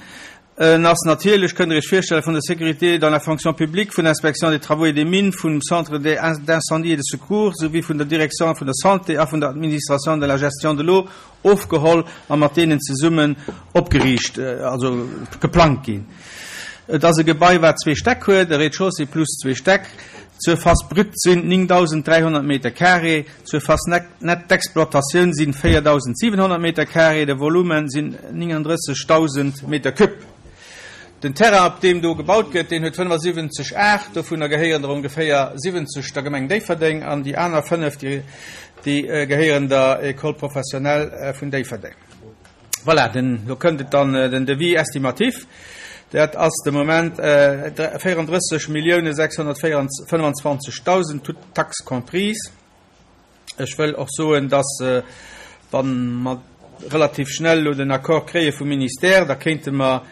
S2: En ass natierlech, kënnt Der Iech virstellen, vun der Sécurité dans la fonction publique, vun der Inspection des travaux et des mines, vum Centre d'incendie et de secours souwéi vun der Direction vun der Santé a vun der Administration de la gestion de l'eau ofgeholl a mat deenen zesummen opgeriicht, also geplangt ginn. Et ass e Gebai, wat zwee Stäck huet, e Rez-de-chaussée plus zwee Stäck. D'Surface brute sinn 9.300 Meter carré, d'Surface nette d'exploitatioun sinn 4.700 Meter carré, de Volume sinn 39.000 Meter cube. Den Terrain, op deem do gebaut gëtt, deen huet 75 Ar, dovunner gehéieren der ongeféier 70 der Gemeng Déifferdeng an déi aner 5, déi gehéieren der École professionnelle vun Déifferdeng. Voilà, den, lo kënnt et dann, den Devis estimatif, dat ass de Moment 34 Milliounen 625.000, toutes taxes comprises. Ech wëll och soen, dass, wa mer relativ schnell elo den Accord kréie vum Ministère, da kéinte mer,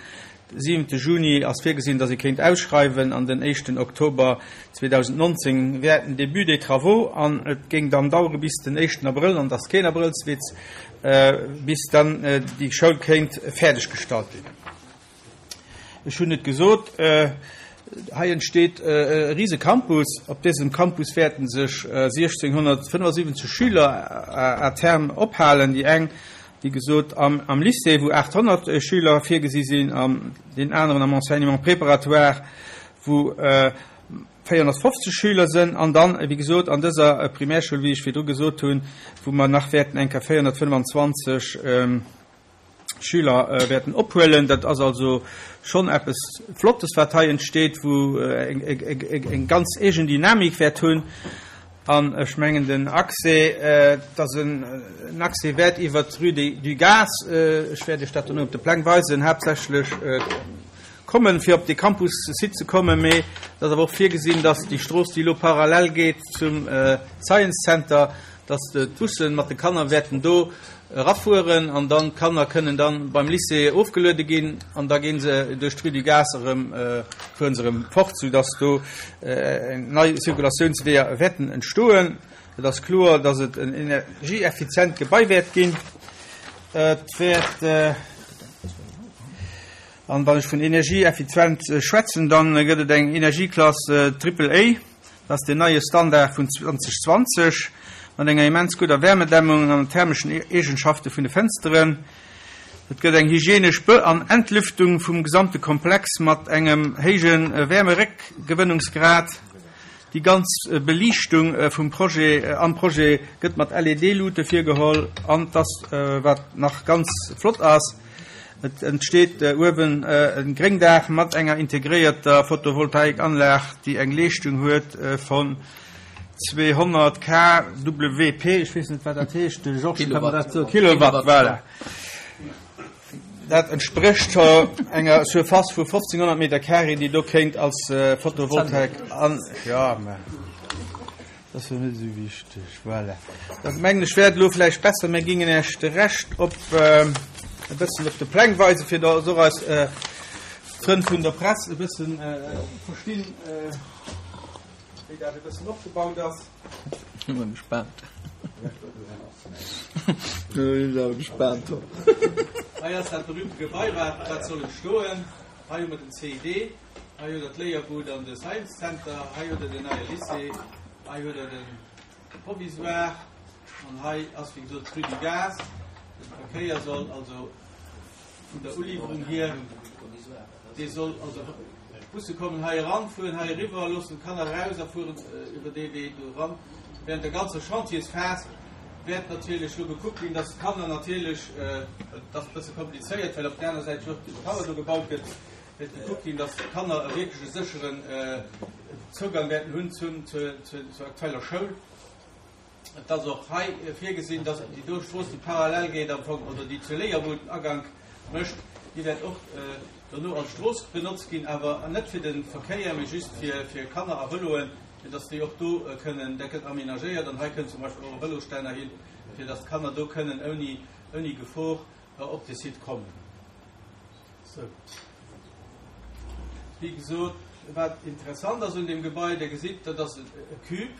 S2: de siwente Juni ass virgesinn, dass ee kéint ausschreiwen, an den éischten Oktober 2019 wär den Début des travaux an et géing dann dauere bis den éischten Abrëll, an et ass keen Abrëllswitz, bis dann déi Schoul kéint fäerdeggestallt ginn. Ech hunn et gesot, hei entsteet e rise Campus. Op dësem Campus wäerten sech 1.675 Schüler à terme ophalen. Déi eng, wéi gesot, am Lycée, wou 800 Schüler virgesi sinn, an deen aneren am Enseignement préparatoire, wou 450 Schüler sënn, an dann, wéi gesot, an dëser Primärschoul, wéi ech virdru gesot hunn, wou mer nach wäerten eng Kéier 425 Schüler wäerten ophuelen. Dat ass also schonn eppes Flottes, wat hei entsteet, wou eng ganz eegen Dynamik wäert hunn. An ech mengen, den Accès, dass en Accès wäert iwwert d'Rue du Gaz, ech wäert Iech dat dono op de Pläng weisen, haaptsächlech kommen, fir op dee Campus-Site ze kommen. Mee et ass awer och virgesinn, dass déi Strooss, déi elo parallel geet zum Science Center, dass d'Busse mat de Kanner wäerten do erafueren an dann d'Kanner kënnen dann beim Lycée ofgeluede ginn an da gi se duerch d'Rue du Gaz erëm, fuere se erëm fort, soudass do nei Zirkulatiounsweeër wäerten entstoen. Et ass kloer, dass et en energieeffizient Gebai wäert ginn. Et wäert. An wann ech vun energieeffizient schwätzen, dann gëtt et eng Energieklass Triple A. Dat ass deen neie Standard vun 2020, mat enger immens gudder Wärmedämmung an den thermeschen Eegenschafte vun de Fënsteren. Et gëtt eng hygienesch Be an Entlüftung vum gesamte Komplex mat engem héije Wärmeréckgewënnungsgrad. Déi ganz Beliichtung vum Projet am Projet gëtt mat LED-Luute virgeholl an et ass, wat nach ganz flott ass, Et entsteet uewen e Gréngdaach mat enger integréierter Photovoltaikanlag, déi eng Leeschtung huet von 200 kWp. Ech weess net, wat dat heescht. De Georges kann mer dat soen. Kilowatt, voilà. Dat entsprécht enger Surface vu 1.500 Meter carré, déi do kéint als Photovoltaik an, jo, mä. Dat ass jo net esou wichteg. Voilà. Dat mengen ech wäert elo vläicht besser, mir gingen Iech de Rescht op e bëssen op de Pläng weisen, fir datt och eis Frënn vun der Press e bëssen verstinn, wéi dat e bëssen opgebaut ass.
S1: Ech si gespaant. Ech sinn awer gespaant.
S2: Hei ass dat berühmte Gebai, wat wat soll entstoen. Hei hu mer den CID. Hei hutt der d'Léierbud an de Science Center, hei hutt der den neie Lycée, hei hutt der de Provisoire an hei ass wéi gesot d'Rue du Gaz. De Verkéier soll also vun der Uliwwerung hier, dee soll also, d'Busse kommen hei eran, fueren hei eriwwer, loossen d'Kanner eraus a fueren iwwer dee Wee do eran. Während der ganzer Chantiersphas wäert natierlech lo gekuckt ginn, dass d'Kanner natierlech, et ass e bësse komplizéiert, well op der aner Säit jo och den Tower do gebaut gëtt, wäert gekuckt ginn, dass d'Kanner e wierklech e sécheren Zougang wäerten hunn zum, zur, zur aktueller Schoul. Et ass och hei virgesinn, dass déi do Strooss, déi parallel geet am Fong, oder déi zur Léierbud den Agank mécht, déi wäert och dono als Strooss benotzt ginn, awer net fir de Verkéier, mee just fir, fir Kanner a Vëloen, fir dass déi och do kënnen, dat gëtt aménagéiert an hei kënnt zum Beispill och e Vëlosstänner hin, fir dass d'Kanner do kënnen ouni, ouni Gefor op de Site kommen. Sou. Wéi gesot, wat interessant ass un deem Gebai, Dir gesitt, dat ass e Cube.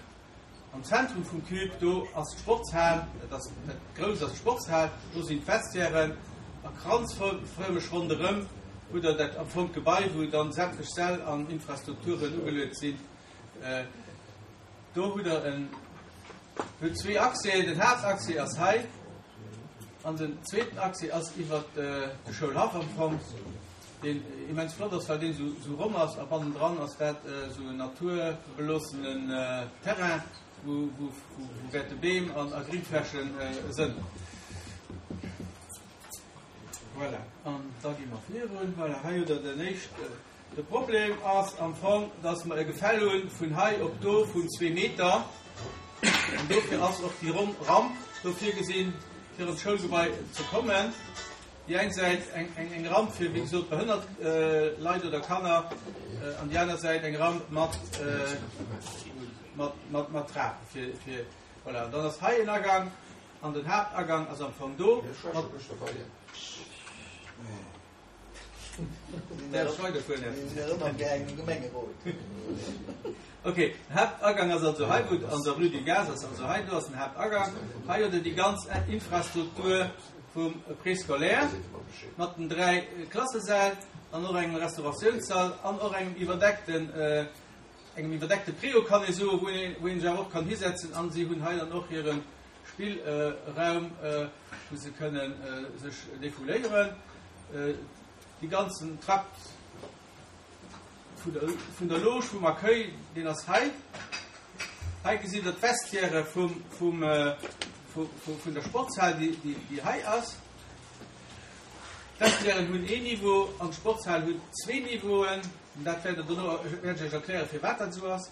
S2: Am Zentrum vum Cube, do ass d'Sportshal, dat ass dat Grousst ass d'Sportshal, do sinn d'Vestiairen a kranzfërmeg ronderëm hutt Der dat am Fong d'Gebai, wou dann sämtlech Säll an Infrastrukturen ugeluet sinn. Do hutt Der en, hutt zwee Accèsen, den Haaptaccès ass hei. An den zweeten Accès ass iwwert de Schoulhaff am Fong, deen immens flott ass, well deen esou ronn ass a bannendran ass dat esou en naturbeloossenen Terrain, wou wäerte Beem an a Gringfläche sënn. Voilà, an da gi mer virun. Voilà, hei hutt Der den éischte. De Problem ass am Fong, dass mer e Gefäll hu vun hei op do vun zwee Meter. An dofir ass och déi ronn Ramp do virgesinn, fir an d'Schoulgebai ze kommen. Déi eng Säit eng Ramp fir, wéi gesot, behënnert Leit oder Kanner an déi aner Säit eng Ramp mat Trape fir, voilà. Dann ass hei en Agang an den Haaptagang ass am Fong do mat. Ok, den Haaptagang ass also hei, wou an der Rue du Gaz ass also hei, do ass den Haaptagang. Hei huet Der déi ganz Infrastruktur vum Préscolaire mat den 3 Klassesäll an och engem Restauratiounssall an och engem iwwerdeckten, engem iwwerdeckte Préau kann ee soen, wou ee, wou ee sech awer och kann hisetzen. An si hunn hei dann och hire Spillraum, wou se kënnen sech defouléieren. Dee ganzen Trakt vun der Loge, vum Accueil, deen ass hei. Hei gesitt Der d'Vestiaire vun der Sportshal, déi hei ass. D'Vestiairen hunn een Niveau an d'Sportshal huet zwee Niveauen. Dat wäert Der dono, wäert ech Iech erklären, firwat dat esou ass.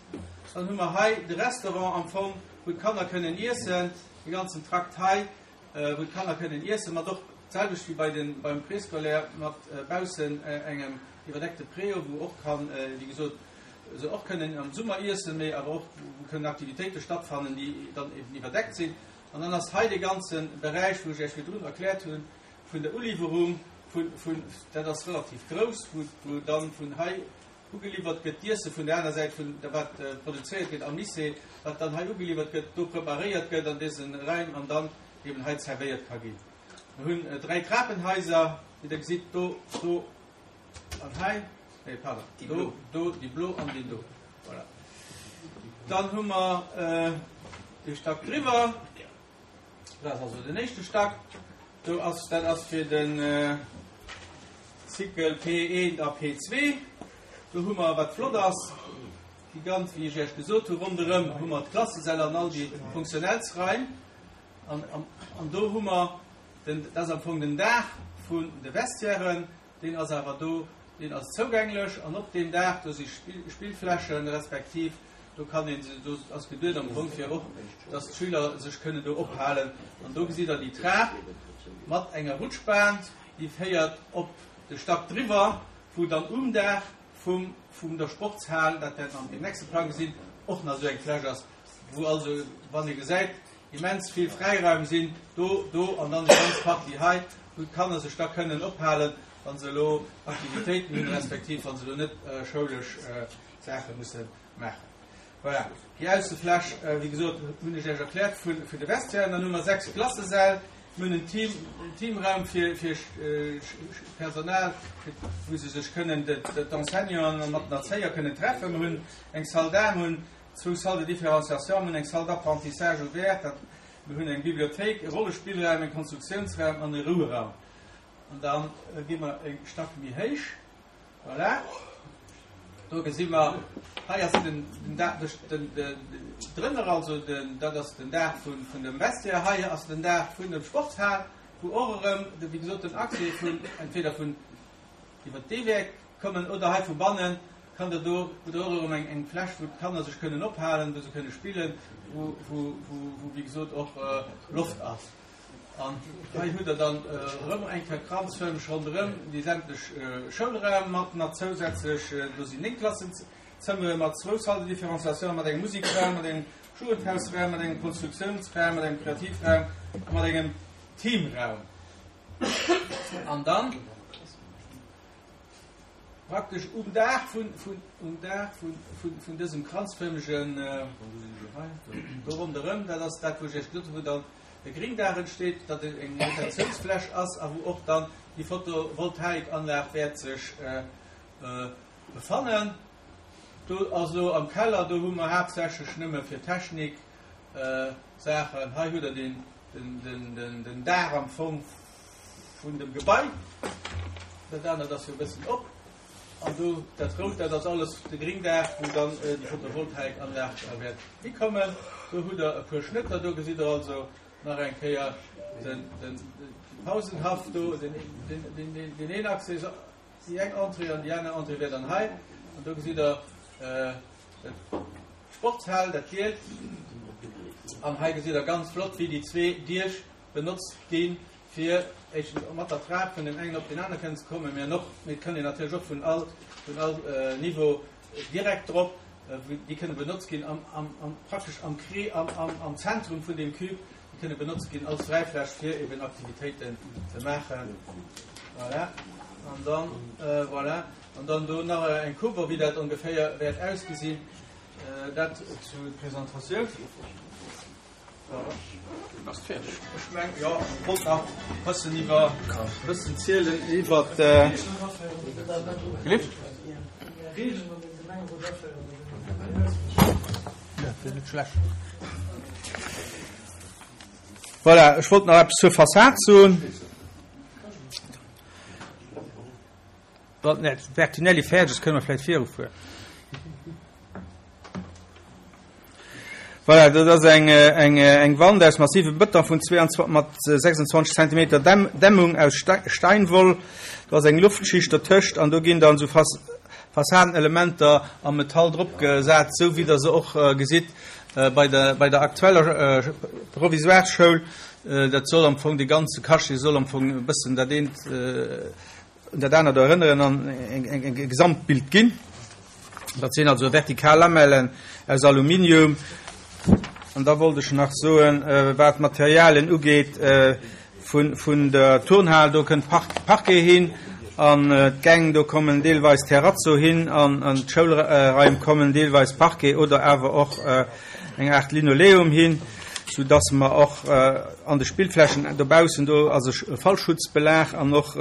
S2: Dann hu mer hei de Restaurant am Fong, wou d'Kanner kënnen iessen. Dee ganzen Trakt hei. wou d'Kanner kënnen iessen, mat och d'selwecht wéi bei den, beim Préscolaire, mat baussen engem iwwerdeckte Préau, wou och kann, wéi gesot, se och kënnen am Summer iessen, mee awer och wou kënnen Aktivitéite stattfannen, déi dann eben iwwerdeckt sinn. An dann ass hei dee ganze Beräich, wou ech Iech virdrun erkläert hunn, vun der Uliwwerung vun, vun, dat ass relativ grouss, wou, wou dann vun hei Ugeliwwert gëtt d'Iesse vun der aner Säit vun wat produzéiert gëtt am Lycée, wat dann hei ugeliwwert gëtt, do preparéiert gëtt an dëse Raim an dann eben hei zerwéiert ka ginn. Mir hunn 3 Trapenhaiser, wéi Der gesitt, do, do an hei, nee, pardon, do, do, déi blo an deen do. Voilà. Dann hu mer de Stack driwwer. Dat ass also den éischte Stack. Do ass, dat ass fir den Cycle P1 a P2. Do hu mer, wat flott ass, déi ganz, wéi ech Iech gesot hu, ronderëm hu mer d'Klassesäll an all déi Funktionellsraim. An, an, an do hu mer den, dat ass am Fong den Daach vun de Vestiairen, deen ass awer do, deen ass zougänglech. An op deem Daach, do si Spillflächen, respektiv Do kann een, do ass geduet am Fong fir och, dass d'Schüler sech kënnen do ophalen. An do gesitt Der déi Trap mat enger Rutschbahn, déi féiert op de Stack driwwer, wou dann um Daach vum, vum der Sportshal, dat wäert mer an deem nächste Plang gesinn, och nach esou eng Fläch ass. wou also, wann ee gesäit, immens vill Fräiraum sinn, do, do an dann déi ganz Partie hei, wou d'Kanner sech da kënnen ophalen, wa se elo Aktivitéiten hunn, respektiv wa se elo net schoulesch Saache musse maachen. Voilà, déi Aussefläch, wéi gesot, hunn ech Iech erkläert vun de Vestiairen. Dann hu mer 6 Klassesäll, mir hunn en Team, en Teamraum fir, fir Personal, wou se sech kënnen, d'Enseignanten mat den Erzéier kënnen treffen. Mir hunn eng Salle d'art, mir hunn zwou Salles de différenciation, mir hunn eng Salle d'apprentissage ouverte, mir hunn eng Bibliothéik, e Rollespillraum, e Konstruktiounsraum an e Roueraum. An da gi mer e Stack méi héich. Voilà. Do gesi mer, hei ass den, den Daach, den, den, drënner also, den, dat ass den Daach vun, vun dem Vestiaire. Hei ass den Daach vun dem Sportshal, wou och erëm, de, wéi gesot, den Accès vun, entweder vun iwwer dee Wäert kommen oder hei vu bannen kann der do, hutt der och erëm eng, eng Fläch, wou d'Kanner sech kënnen ophalen, wou se kënne spillen, wou, wou, wou, wou wéi gesot och Loft ass. An hei hutt Der dann erëm eng Kéier kranzfërmeg ronderëm déi sämtlech Schoulraim mat nach zousätzlech, do sinn 9 Klassenzëmmere mat zwou Salles de différenciation, mat engem Musekraum, mat engem Jugendhausraum, mat engem Konstruktiounsraum, mat engem Kreativraum a mat engem Teamraum. An dann. Praktesch um Daach vun, vun, um Daach vun, vun, vun dësem kranzfërmegen, do ronderëm, dat ass dat, wou ech Iech gesot hunn, wou dann de Gringdaach entsteet, datt et eng Rotatiounsfläch ass a wou och dann déi Photovoltaikanlag wäert sech befannen. Do also am Keller, do hu mer haaptsächlech nëmme fir Technik Saachen. Hei hutt Der den, den, den, den, den Daach am Fong Vun dem Gebai. Dat anert ass jo e bëssen op. An do dat Rout, dat ass alles de Gringdaach, wou dann déi Photovoltaikanlag wäert hikommen. Do hutt Der e puer Schnëtter. Do gesitt Der also nach eng Kéier den, den Pausenhaff do, den, den, den, den een Accès, déi eng Entrée an déi aner Entrée wär dann hei. An do gesitt Der d'Sportshal, dat Gielt. An hei gesitt Der ganz flott, wéi déi zwee Diech benotzt ginn, fir éischtens mat der Trap vun deem engen op deen anere kënnen ze kommen, mä och, mee et kann een natierlech och vun all, vun all Niveau direkt drop, déi kënne benotzt ginn am, am, am, praktesch am Kree, am, am, am Zentrum vun deem Cube, déi kënne benotzt ginn als Fräifläch, fir eben Aktivitéiten ze maachen. Voilà. An dann, voilà, an dann do nach eng Cover, wéi dat ongeféier wäert ausgesinn. Dat zur Presentatioun. Ass fäerdeg. Ech meng jo, ech wollt nach bëssen iwwer bëssen zielen iwwer Gelift? Net schlecht. Voilà, ech wollt nach eppes zur Fassad soen. Wann den Bertinelli fäerdeg ass, kënne mer vläicht virufueren. Voilà, dat ass eng, eng, eng Wand aus massivem Bëton vun 22, mat 26 Zentimeter Dämm, Dämmung aus Steinwoll. Do ass eng Luftschicht dertëscht an do ginn dann esou Fas, Fassadenelementer am Metall drop gesat, esou wéi Der se och gesitt bei der, bei der aktueller Provisoire-Schoul. Dat soll am Fong, dee ganze Cachet soll am Fong e bëssen dat eent, un dat anert erënneren an e Gesamtbild ginn. Dat sinn also vertikal Lamellen aus Aluminium. An da wollt ech nach soen, wat d'Materialien ugeet vun der Turnhal, do kënnt Parquet hin an d'Gäng, do kommen deelweis Terrazzo hin an an d'Schoulraim kommen deelweis Parquet oder awer och eng Aart Linoleum hin, soudass mer och an de Spillflächen dobaussen, do ass e Fallschutzbelag an och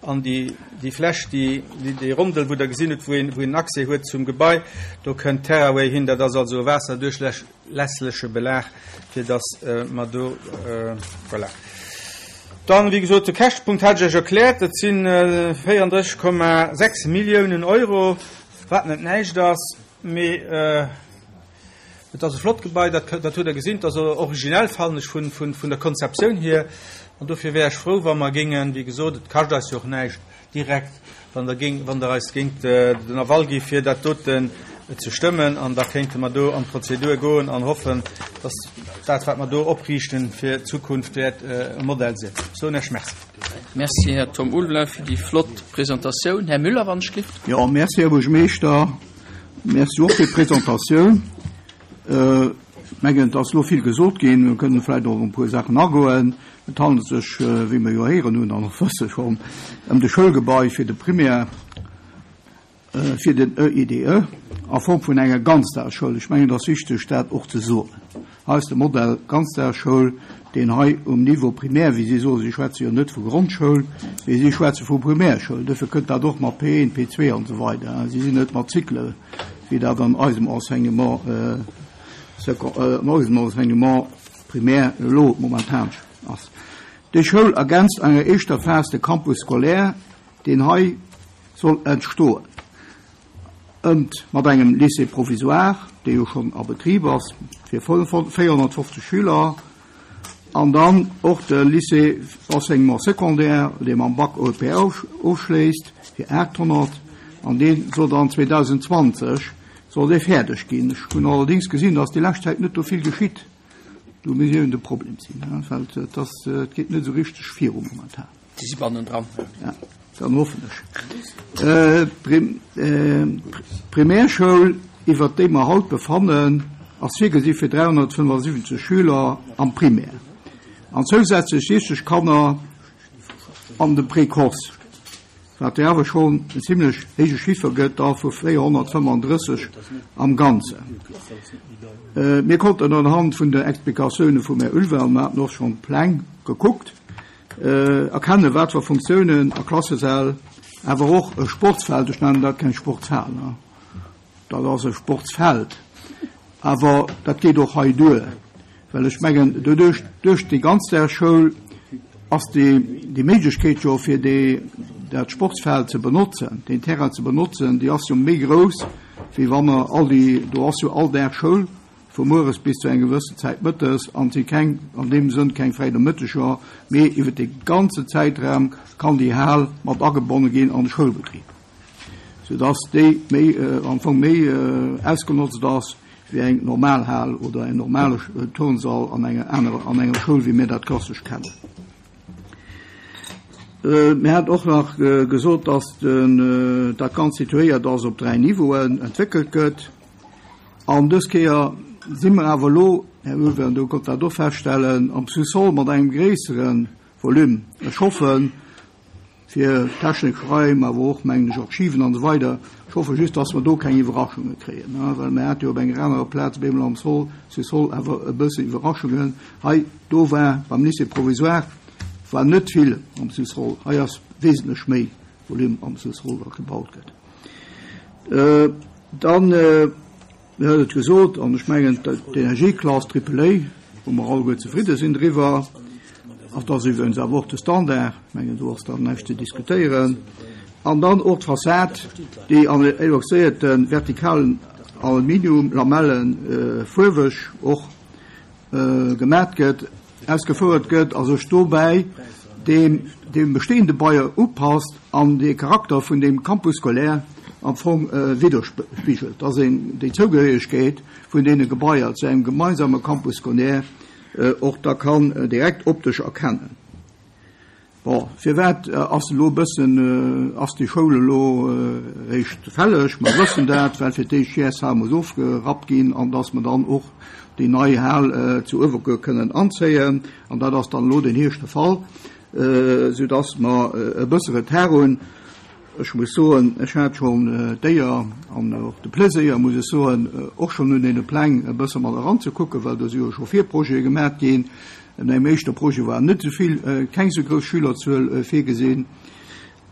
S2: an déi, déi Fläch, déi, déi Rondel, wou Der gesinn hutt, wou een, wou een Accès huet zum Gebai, do kënnt Terraway hin. Dat ass also e waasserduerchlässleche Belag, fir dass mer do, voilà. Dann, wéi gesot, de Käschtepunkt hat ech Iech erkläert. Dat si 34,6 Milliounen Euro, wat net näischt ass, mee Et ass e flott Gebai, dat, dat hutt Der gesinn. Et ass originell, fannen ech, vun, vun, vun der Konzeptioun hier. An dofir wär ech frou, wa mer géingen, wéi gesot, et kascht eis jo och näischt direkt, wann Der géing, wann Der eis géingt den Aval gi fir dat doten ze stëmmen. An da kéinte mer do an d'Prozedur goen an hoffen, dass dat, wat mer do opriichten, fir d'Zukunft wäert e Modell sinn. Soen Iech Merci.
S1: Merci, Här Tom Ulveling, fir déi flott Presentatioun. Här Müller, wann ech gelift.
S3: Jo, merci, Här Buergermeeschter. Merci och fir d'Presentatioun. Mengen, et ass elo vill gesot ginn. Mir kënnen vläicht och op e puer Saachen agoen. Et handelt sech, wéi mer jo héieren hunn an och wësse schonn, ëm de Schoulgebai fir de Primaire, fir den EIDE a Form vun enger Ganzdagsschoul. Ech mengen, et ass wichteg, dat och ze soen. Hei ass de Modell Ganzdagsschoul, deen hei um Niveau primaire, wéi si soen, si schwätze jo net vu Grondschoul, mee si schwätze vu Primärschoul, duerfir kënnt dat och mat P1, P2 an esou weider. Si sinn net mat Cycle, wéi dat an eisem Enseignement, an eisem Enseignement primaire elo momentan ass. Déi Schoul ergänzt an enger éischter Phas de Campus scolaire, deen hei soll entstoen, ëmt mat engem Lycée provisoire, dee jo schonn a Betrib ass, fir 450 Schüler, an dann och de Lycée enseignement secondaire, dee mam Bac européen ofschléisst, fir 800, an dee soll dann 2020 soll dee fäerdeg ginn. Ech hunn allerdéngs gesinn, dass déi lescht Zäit net do vill geschitt. Do misst eben de Problem sinn, well et ass, et geet net esou richteg viru momentan.
S1: Déi si bannendran.
S3: Ja, dann hoffen ech. D'Primärschoul, iwwert déi mer haut befannen, ass virgesi fir 375 Schüler am Primär an zousätzlech 60 Kanner an dem Précoce. Wat jo awer schonn en zimlech héije Chiffer gëtt da vu 435 am Ganzen. Mir konnten anhand vun der Explikatioune vum Här Ulvean, an mir haten och schonn d'Pläng gekuckt, erkennen, wat fir Funktiounen a Klassesäll, awer och e Sportsfeld, ech nennen dat keng Sportshal, Dat ass e Sportsfeld, awer dat geet och hei duer, well ech mengen, doduerch, duerch déi Ganzdagsschoul ass déi, déi Méiglechkeet jo fir déi, dat Sportsfeld ze benotzen, deen Terrain ze benotzen, déi ass jo méi grouss, wéi wa mer all déi, do ass jo all Dag Schoul, vu mueres bis zu enger gewëssen Zäit mëttes, an et si keng, an deem Sënn keng fräi Nomëtteger, mee iwwer dee ganze Zäitraum kann déi Hal mat agebonne ginn an de Schoulbetrib. sou dass déi méi am Fong méi ausgenotzt ass wéi eng normal Hal oder en normale Turnsall an enger anerer an enger Schoul wéi mir dat klassesch kennen. Mir hat och nach gesot, dass den dat Ganzt situéiert ass op 3 Niveauen entwéckelt gëtt. An dës Kéier si mer awer elo, Här Ulvean, do konnt dat och feststellen, am Sous-sol mat engem gréissere Volume. Ech hoffen, fir technesch Raim, awer och, mengen ech, Archiven an esou weider. Ech hoffe just, dass mer do keng Iwwerraschunge kréien, well mer hate jo op enger anerer Plaz op eemol am Sol, Sous-sol awer e bësse Iwwerraschungen. Hei, do war beim Lycée provisoire war net vill am Sous-sol. Hei ass wesentlech méi Volume am Sous-sol, wat gebaut gëtt. Dann. Mir huet et gesot, an ech mengen, d'Energieklass Triple A, wou mer alleguer zefridde sinn driwwer, dat ass iwwregens awer och de Standard, ech mengen, do ass dann näischt ze diskutéieren, an dann och d'Fassad, déi an eloxéierte vertikalen Aluminiumlamelle fuerweg och gemat gëtt, ausgefouert gëtt a sech dobäi deem deem bestehende Bailleur upasst an dee Charakter vun deem Campus scolaire am Fong widderspigelt, dass een déi Zougehéiegkeet vun deene Gebaier zu engem gemeinsame Campus scolaire och da kann direkt optesch erkennen. Bon, firwat ass elo e bëssen, ass déi Schoul elo réischt fälleg? Mer wëssen dat, well fir d'éischt d'GSH muss ofgerappt ginn an dass mer dann och déi nei Hal zu Uewerkuer kënnen anzéien. An dat ass dann elo den Hierscht de Fall, soudass mer e bësse Retard hunn. Ech muss soen, ech hat schonn d'Éier an och de Pleséier, muss ech soen, och schonn un deene Pläng e bësse mat eranzekucken, well do si jo scho Virprojete gemaach ginn. An engem éischte Projet war net esou vill, keng esou grouss Schülerzuel virgesinn.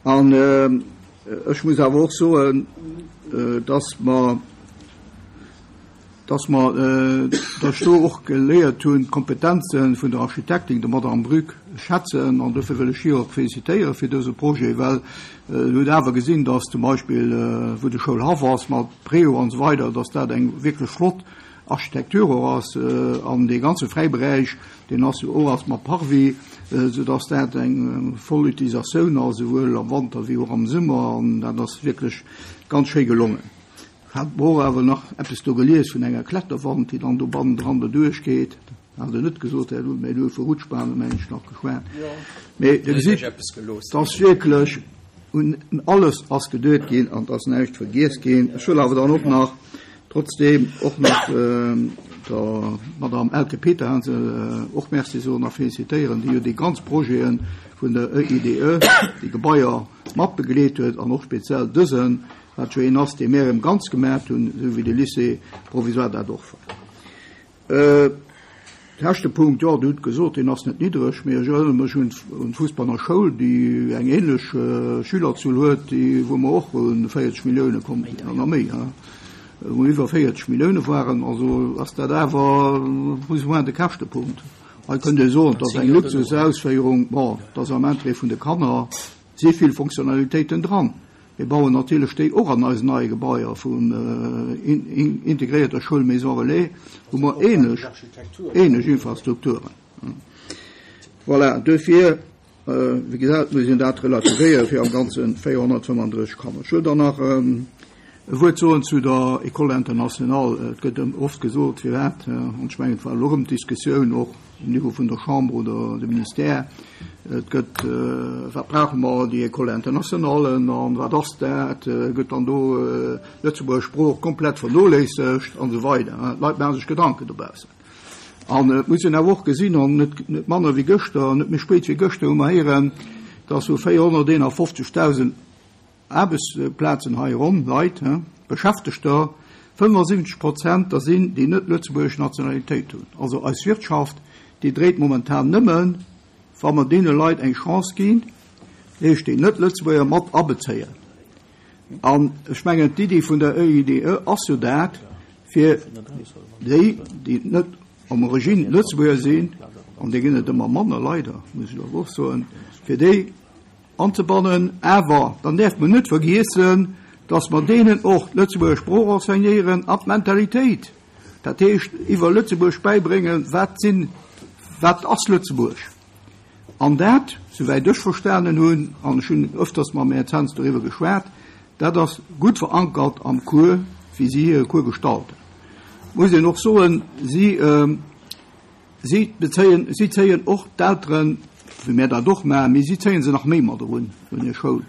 S3: An ech muss awer och soen, dass mer, dass mer, dass ech do och geléiert hunn, d'Kompetenze vun der Architektin, der Madame Brück, schätzen. An dofir wëll ech hir och félicitéiere fir dëse Projet, well se huet awer gesinn, dass zum Beispill, wou de Schoulhaff ass mat Préau an esou weider, dass dat eng wierklech flott Architektur och ass an dee ganze Fräiberäich, deen ass jo och ass mat Parvis, sou dass dat eng voll Utilisatioun ass, esouwuel am Wanter wéi och am Summer an dat ass wierklech ganz schéi gelongen. Hat mer och awer nach eppes do gelies vun enger Kletterwand, déi dann do bannendran doduerch geet. Hat Der net gesot, Här Lund, mä Dir hutt vu Rutschbahnen, mengen ech, nach geschwat. Mee Dir gesitt, et ass wierklech un alles ass geduet ginn an et ass näischt vergiess ginn. Ech wëll awer dann och nach Trotzdeem och nach. der Madame Elke Peterhansel och Merci soen a félicitéieren, déi jo déi ganz Projete vun der EIDE, déi Gebaier, mat begleet huet an och speziell dësen, wat jo een ass, dee mär erëm ganz gemaacht hunn, esou wéi de Lycée provisoire dat och war. Käschtepunkt, jo, Dir hutt gesot, deen ass net niddreg, mee ech erënnere mech un d'Fussbanner Schoul, déi eng ähnlech Schülerzuel huet, déi, wou mer och un 40 Millioune komm sinn an nach méi, wou mer iwwer 40 Millioune waren. Also ass dat awer plus ou moins de Käschtepunkt. Hei kënnt ee soen, et ass eng Luxusausféierung. Bon, et ass am Interêt vun de Kanner, si vill Fonctionnalitéiten dran. Mir bauen natierlech déi och an eisen neie Gebaier vun integréierter Schoul Maison Relais hu mer ähnlech, ähnlech Infrastrukturen. Voilà, duerfir, wéi gesat, muss een dat relativéieren, fir am Ganze 435 Kanner. Ech wëll dann nach e Wuert soen zu der École internationale. Et gëtt oft gesot, firwat, an ech mengen, et war elo erëm d'Diskussioun och, um Niveau vun der Chambre oder dem Ministère, et gëtt, wat brauche mer, déi École internationale an wat ass dat, gëtt dann do d'Lëtzebuerger Sprooch komplett vernoléissegt an esou weider. D'Leit maache sech Gedanken dobaussen. An et muss een awer och gesinn, an net manner wéi gëschter, net méi spéit wéi gëschter hu mer héieren, dass vu 451.000, Aarbechtsplazen hei ronn Leit, Beschäftegter, 75 Prozent der sinn, déi net lëtzebuergesch Nationalitéit hunn. Also eis Wirtschaft, déi dréit momentan nëmmen, wa mer deene Leit eng Chance ginn, dat heescht déi Net-Lëtzebuerger mat abezéien. An ech mengen, d'Iddi vun der EIDE ass jo dat, fir déi, déi net am Origine Lëtzebuerger sinn, an där ginn et ëmmer manner, leider, muss ech awer och soen, fir déi Anzebannen. Awer dann däerf mer net vergiessen, dass mer deenen och d'Lëtzebuerger Sprooch enseignéieren an d'Mentalitéit, dat heescht iwwer Lëtzebuerg bäibréngen, wat sinn, wat ass Lëtzebuerg. An dat, souwäit ech verstanen hunn, an ech hunn öfters mam Här Zens doriwwer geschwat, dat ass gutt verankert am Cours, wéi si hire Cours gestalten. Muss een och soen, si. Si bezéien, si zéien och d'Elteren, wéi mär dat och maachen, mee si zéie se nach méi mat erun un hir Schoul.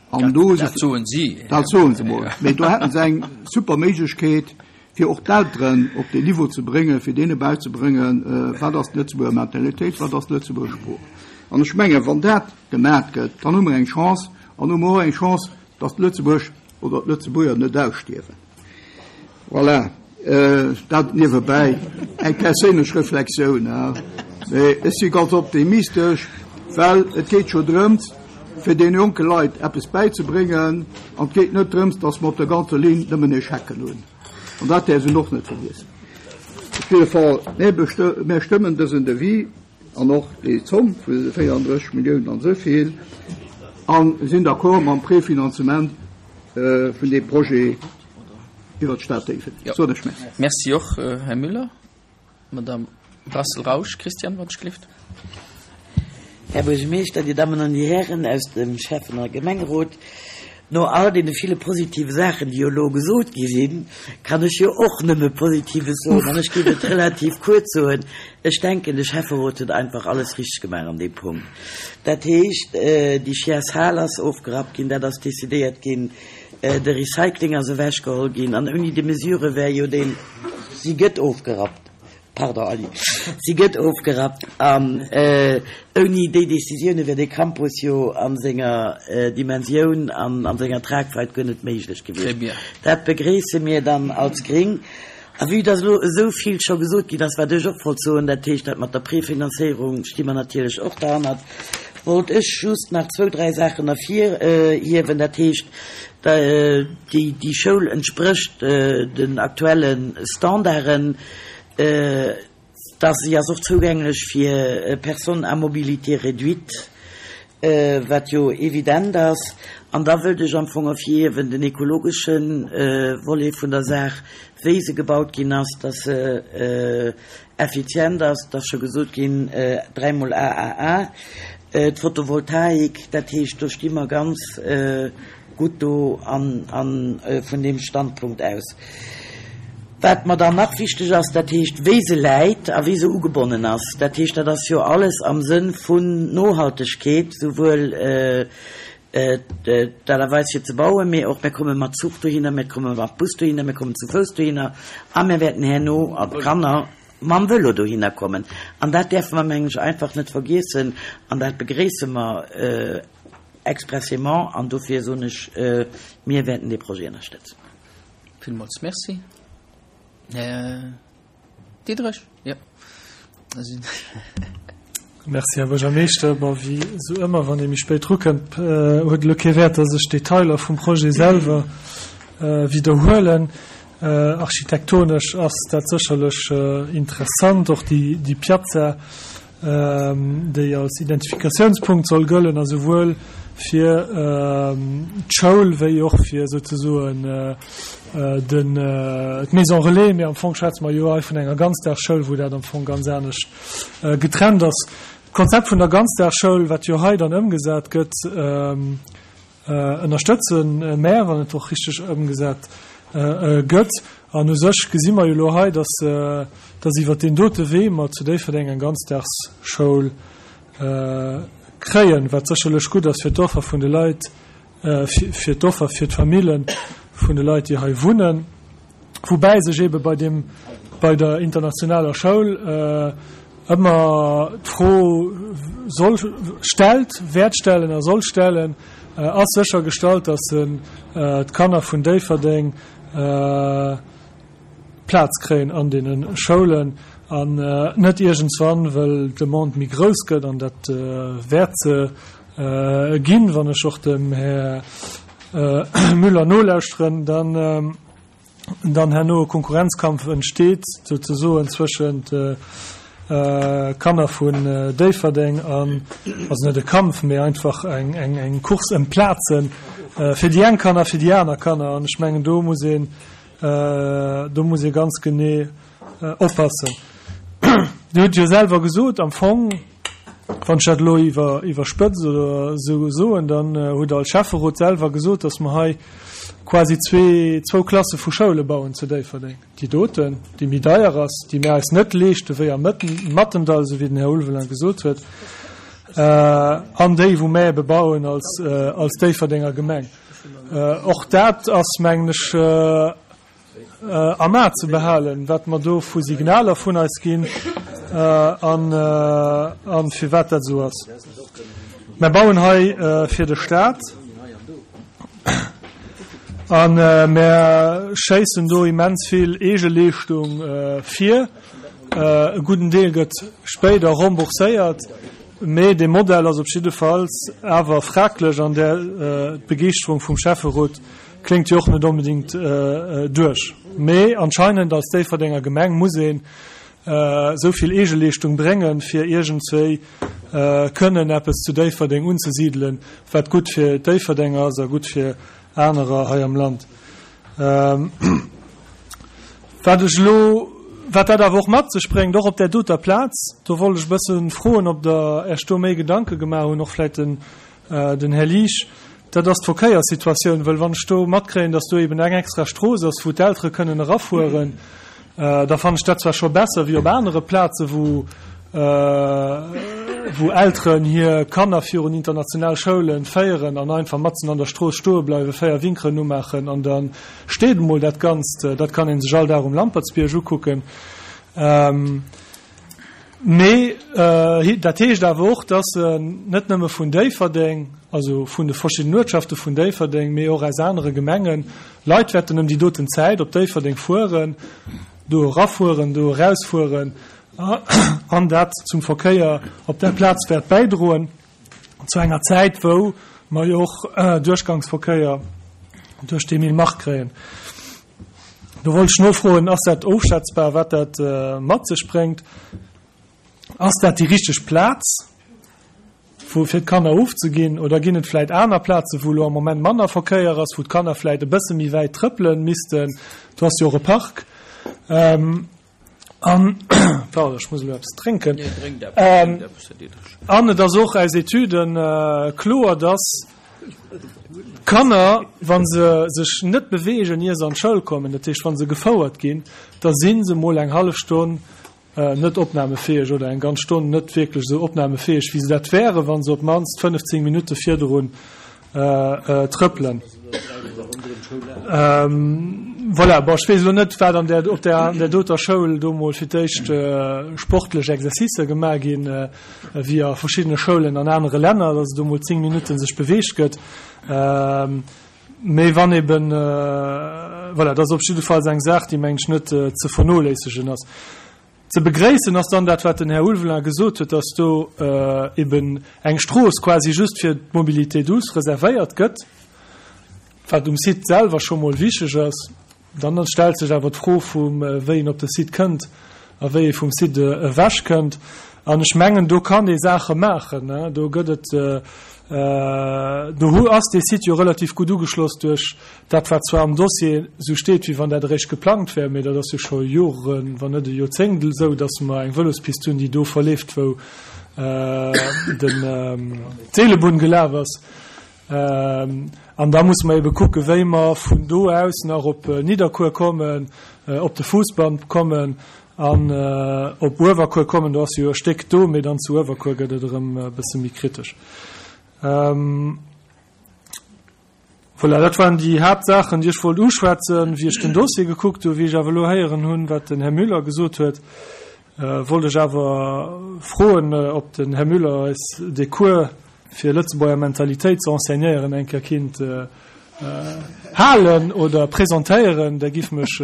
S3: An do.
S1: Dat soen si.
S3: Dat soen se mol. Mee do hätten se eng super Méiglechkeet, fir och d'Elteren op deen Niveau ze bréngen, fir deene bäizebréngen, wat ass d'Lëtzebuerger Mentalitéit, wat ass d'Lëtzebuerger Sprooch. An ech mengen, wann dat gemaat gëtt, dann hu mer eng Chance an hu mer och eng Chance, datt Lëtzebuerg oder d'Lëtzebuerger net ausstierwen. Voilà, dat niewebäi, eng perséinlech Reflexioun. Mee ech si ganz optimistesch, well et geet jo drëms, fir deene jonke Leit eppes bäizebréngen, an et geet net drëms, datt mer op der ganzer Linn nëmmen Echecken hunn. An dat däerf een och net vergiessen. Op jidde Fall, mir stëmmen dësen Devis. An och déi Zomm vu 34 Milliounen an esou vill. A sinn d'accord mam Préfinanzement vun deem Projet iwwert d'Stad Déifferdeng. Sot ech Merci.
S1: Merci och, Här Müller. Madame Brassel-Rausch, Christiane, wann ech gelift.
S10: Här Buergermeeschter, Dir Dammen an Dir Hären aus dem Schäffen a Gemengerot, no all deene ville positive Saachen, déi jo elo gesot gi sinn, kann ech jo och nëmme Positives soen an ech géif et relativ kuerz soen. Ech denken, de Schäfferot huet einfach alles richteg gemaach an deem Punkt. Dat heescht, déi Chiers-Hal ass ofgerappt ginn, dat ass decidéiert ginn, de Recycling ass ewechgeholl ginn an ouni déi Mesure wär jo deen, si gëtt ofgerappt, pardon Aly, si gëtt ofgerappt an ouni déi Décisioune wär dee Campus jo a senger Dimensioun an a senger Tragweit guer net méiglech gewiescht. Dat begréisse mir dann als Gréng. A vue dass elo esou vill scho gesot ginn ass, wat ech och wollt soen, dat heescht dat mat der Prefinanzéierung sti mer natierlech och derhannert, wollt ech just nach zwou, dräi Saachen ervirhiewen. Dat heescht, déi Schoul entsprécht den aktuelle Standarden, dass si ass och zougänglech fir Personnes à mobilité réduite, wat jo evident ass. An da wëllt ech am Fong ervirhiewen den ekologesche Volet vun der Saach, wéi se gebaut ginn ass, dass se effizient ass, et ass scho gesot ginn, dräimol AAA, d'Photovoltaik, dat heescht, do sti mer ganz gutt do an vun deem Standpunkt aus. Wat mer dann nach wichteg ass, dat heescht, wéi se läit a wéi se ugebonnen ass, dat heescht, dat ass jo alles am Sënn vun Nohaltegkeet, souwuel. D'Aart a Weis fir ze bauen, mee och mir komme mat Zuch dohinner, mir komme mat Bus dohinner, mir kommen zu Fouss dohinner a mir wäerten herno, an d'Kanner, mam Vëlo dohinner kommen. An dat däerfe mer, mengen ech, einfach net vergiessen an dat begréisse mer expressément an dofir soen ech, mir wäerten dee Projet ënnerstëtzen.
S1: Villmools Merci. Här Diderich, jo.
S6: Merci, Här Buergermeeschter. Bon, wéi esou ëmmer, wann ee méi spéit drukënnt, huet elo kee Wäert, dass ech d'Detailer vum Projet selwer widderhuelen. Architektonesch ass dat sécherlech interessant, och déi Piazza, déi als Identifikatiounspunkt soll gëllen a souwuel fir d'Schoul wéi och fir souzesoen den d'Maison relais, mee am Fong schwätze mer jo hei vun enger Ganzdagsschoul, wou dat am Fong ganz anescht getrennt ass. D'Konzept vun der Ganzdagsschoul, wat jo hei dann ëmgesat gëtt, ënnerstëtze mär, wann et och richteg ëmgesat gëtt. An u sech gesi mer jo elo hei, dass, dass iwwert deen dote Wee mer zu Déifferdeng eng Ganzdagsschoul kréien, wat sécherlech gutt ass fir d'Offer vun de Leit, fir d'Offer fir d'Famille vun de Leit, déi hei wunnen. Woubäi sech eebe bei deem, bei der internationaler Schoul ëmmer d'Fro soll, stellt, wäert stellen a soll stellen, Ass sécher gestallt, datt d'Kanner vun Déifferdeng Plaz kréien an deene Schoulen an net iergendswann, wëll d'Demande méi grouss gëtt, an dat wäert se ginn, wann ech och dem Här Müller nolauschteren, dann dann herno e Konkurrenzkampf entsteet souzesoen zwëschent Kanner vun Déifferdeng an, also net e Kampf, mee einfach eng eng eng Course ëm d'Plazen fir déi eng Kanner, fir déi aner Kanner. An ech mengen do muss een do muss ee ganz genee oppassen. Dir hutt jo selwer gesot, am Fong, Wann ech dat elo iwwer, iwwerspëtzt oder esou soen, dann hutt Der als Schäfferot selwer gesot, dass mer hei quasi zwee, zwou Klasse vu Schoule bauen zu Déifferdeng. Déi doten, déi méi deier ass, déi mir eis net leeschte wéi am Mattendall, esou wéi den Här Ulveling gesot huet, an déi, wou mer ebe bauen als, als Déifferdenger Gemeng. Och dat ass, mengen ech, am A ze behalen, wat mer do vu Signaler vun eis ginn an firwat dat esou ass. Mer bauen hei fir de Staat a mer schéissen do immens vill Eegeleeschtung vir. E gudden Deel gëtt spéider rembourséiert, mee dee Modell ass op jiddefalls awer fraglech an där d'Begeeschterung vum Schäfferot Kléngt jo och net onbedingt duerch. Mee anscheinend als Déifferdenger Gemeng muss een esou vill Eegeleeschtung bréngen, fir iergendswéi kënnen eppes zu Déifferdeng unzesidelen, wat gutt fir d'Déifferdenger ass a gutt fir anerer hei am Land. Wat ech elo, wat dat awer och mat sech bréngt, och op där doter Plaz, do wollt ech e bësse froen, ob Der Äech do méi Gedanke gemaach hunn, och vläicht den Den Här Liesch, Dat ass d'Verkéierssituatioun, wëll wann ech do matkréien, datt do eben eng extra Strooss ass, wou d'Eltere kënnen erafueren, da fannen ech dat zwar scho besser wéi op anere Plaze wou wou Elteren hir Kanner virun international Schoule féieren an einfach matzen an der Strooss stoe bleiwen, 4 Winkeren umaachen an da steet emol dat Ganzt. Dat kann ee sech all Dag um Lampertsbierg ukucken. Mee dat heescht awer och, dass net nëmme vun Déifferdeng, also vun de verschiddenen Uertschafte vun Déifferdeng, mee och aus anere Gemengen Leit wäerten ëm déi doten Zäit op Déifferdeng fueren, do erafueren, do erausfueren an dat zum Verkéier op där Plaz wäert bäidroen, zu enger Zäit, wou mer jo och Duerchgangsverkéier duerch d'Emile Mark kréien. Do wollt ech nofroen, Ass dat ofschätzbar, wat dat mat sech bréngt? Ass dat déi richteg Plaz, wou fir d'Kanner ofzeginn, oder ginn et vläicht aner Plazen, wou elo am Moment manner Verkéier ass, wou d'Kanner vläicht e bësse méi wäit trëppele missten? Do ass jo och e Park. An, pardon, ech muss elo eppes drénken. An et ass och aus Etüden kloer, dass d'Kanner, wa se sech net beweegen, ier se an d'Schoul kommen, dat heescht, wa se gefouert ginn, da si se mol eng hallef Stonn net opnamefäeg oder eng ganz Stonn net wierklech esou opnamefäeg, wéi se dat wären, wa se op d'mannst 15 Minutte virdrun. Trëppelen. Voilà, bon, ech weess elo net, wat an där, op där, an där doter Schoul do mol fir d'éischt sportlech Exercicer gemaach ginn, wéi a verschiddene Schoulen an anere Länner, dass do mol 10 Minutten sech beweegt gëtt. Mee wann eben, voilà, dat ass op jiddefalls eng Saach, déi, meng ech, net ze vernoléissegen ass. Ze begréissen ass dann dat, wat den Här Ulveling gesot huet, dass do eben eng Strooss quasi just fir d'Mobilité douce reservéiert gëtt, wat um Site selwer scho mol wichtig ass. Dann stellt sech awer d'Fro vum, wéi een op de Site kënnt a wéi ee vum Site ewech kënnt. An ech mengen, do kann ee Saache maachen. Do gëtt et, do ass dee Site jo relativ gutt ugeschloss duerch Dat, wat zwar am Dossier esou steet, wéi wann dat eréischt geplangt wär, mee dat ass jo scho Joren, wann net e Joerzéngt esou, datt mer eng Vëlospist hunn, déi do verleeft, wou d'Seelebunn gelaf ass. An da musse mer ebe kucken, wéi mer vun do aus nach op Nidderkuer kommen, op de Fousbann kommen an op Uewerkuer kommen. Do ass jo e Stéck do, mee dann zu Uewerkuer gëtt et erëm e bësse méi kritesch. Voilà, dat waren déi Haaptsaachen, déi ech wollt uschwätzen, wéi ech den Dossier gekuckt hunn. Wéi ech awer elo héieren hunn, wat den Här Müller gesot huet, wollt ech awer froen, ob den Här Müller eis dee Cours fir Lëtzebuerger Mentalitéit ze enseignéieren eng Kéier kinnt halen oder presentéieren. Dat giff mech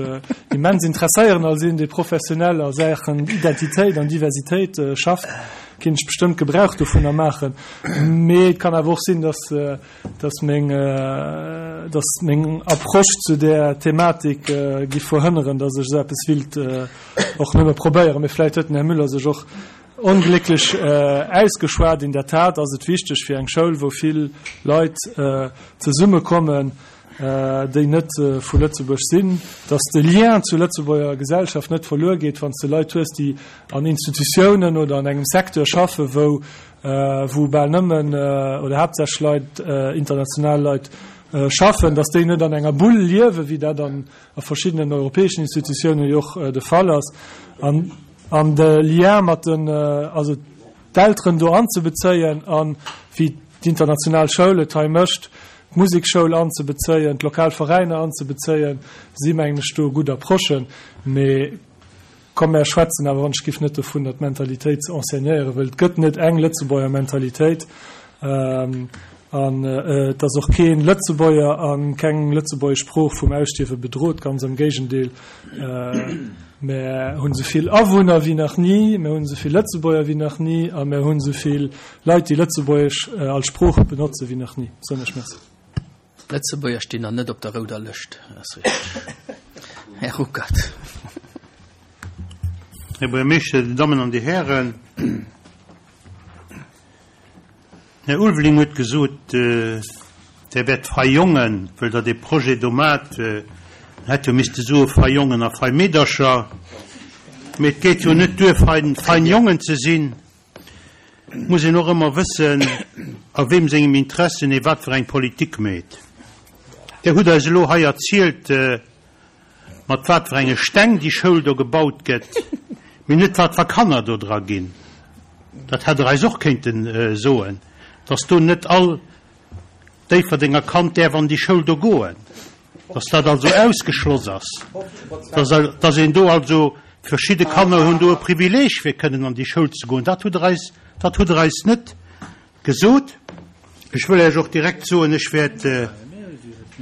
S6: immens interesséieren. Als een, dee professionell a Saachen Identitéit an Diversitéit schafft, kinnt ech bestëmmt Gebrauch dovunner maachen. Mee et kann awer och sinn, dass dass meng, dass meng Approche zu där Thematik giff verhënneren, dass ech esou eppes willt och nëmme probéieren. Mee vläicht huet den Här Müller sech och onglécklech ausgeschwat. In der Tat ass et wichteg fir eng Schoul, wou vill Leit zesummekommen, déi net vu Lëtzebuerg sinn, dass de Lien zur Lëtzebuerger Gesellschaft net verluer geet, wann s de Leit hues, déi an Institutiounen oder an engem Secteur schaffen, wou wou bal nëmmen oder haaptsächlech Leit, international Leit schaffen, dass déi net an enger Bull liewen, wéi dat an a verschiddenen europäeschen Institutiounen jo och de Fall ass, an an de Lien mat den, also d'Elteren do anzebezéien an, wéi d'international Schoul et hei mécht, d'Musekschoul anzebezéien, d'lokal Veräiner anzebezéien, si mengen ech do gutt Approchen. Mee Komm mär schwätzen awer wann ech giff net dovun, datt Mentalitéit ze enseignéieren, wëll et gëtt net eng Lëtzebuerger Mentalitéit an et ass och kee Lëtzebuerger a keng lëtzebuergesch Sprooch vum Ausstierwe bedrot, ganz am Géigendeel, mär hunn esou vill Awunner wéi nach ni, mär hunn esou vill Lëtzebuerger wéi nach ni a mär hunn esou vill Leit, déi Lëtzebuergesch als Sprooch benotze wéi nach ni. Soen ech Merci.
S1: D'Lëtzebuerger stinn nach net op der rouder Lëscht, ass richteg, Här Ruckert.
S7: Här Buergermeeschter, Dir Dammen an Dir Hären, den Här Ulveling huet gesot, Der wäert fei Jongen, wëll Der dee Projet do maacht, en hätt jo misste soe fei Jongen a fei Meedercher, mee et geet jo net duer, fein Jongen ze sinn. Et muss een och ëmmer wëssen, a weem sengem Interessen ee wat fir eng Politik meet. Där hutt eis elo hei erzielt, mat wat fir enge Steng déi Schoul do gebaut gëtt, mee net wat fir Kanner do dra ginn. Dat hätt Der eis och kéinte soen, dass do net all Déifferdenger Kand däerf an déi Schoul do goen, dass dat also ausgeschloss ass, dass een do also, verschidde Kanner hunn do e Privileeg fir kënnen an déi Schoul ze goen. Dat hutt Der eis, dat hutt Der eis net gesot. Ech wëll Iech och direkt soen, ech wäert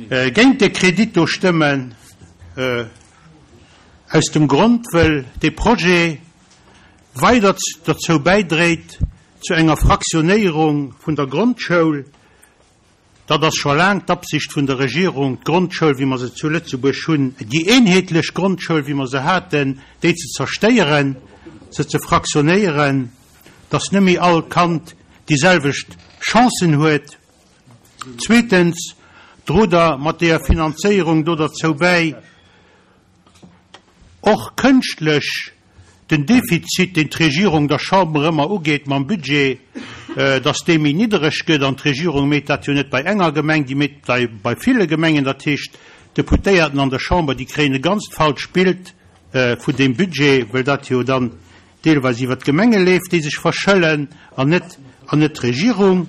S7: géint dee Kredit do stëmmen, aus dem Grond, wëll dee Projet weider derzou bäidréit, Zu enger Fraktionéierung vun der Grondschoul, dat ass scho laang d'Absicht vun der Regierung, d'Grondschoul, wéi mer se zu Lëtzebuerg hunn, déi eenheetlech Grondschoul, wéi mer se haten, déi ze zerstéieren, se ze fraktionéieren, dass net méi all Kand déi selwecht Chancen huet. Zweetens drot Der mat deeër Finanzéierung do derzou bäi, och kënschtlech den Defizit, deen d'Regierung der Chamber ëmmer ugeet mam Budget, dass dee méi niddereg gëtt. An d'Regierung méit dat jo net bei enger Gemeng, déi méit dat bei ville Gemengen. Dat heescht, d'Deputéierten an der Chamber, déi kréien e ganzt falscht Bild vun deem Budget, well dat jo dann deelweis iwwert d'Gemenge leeft, déi sech verschëllen, an net, an net d'Regierung.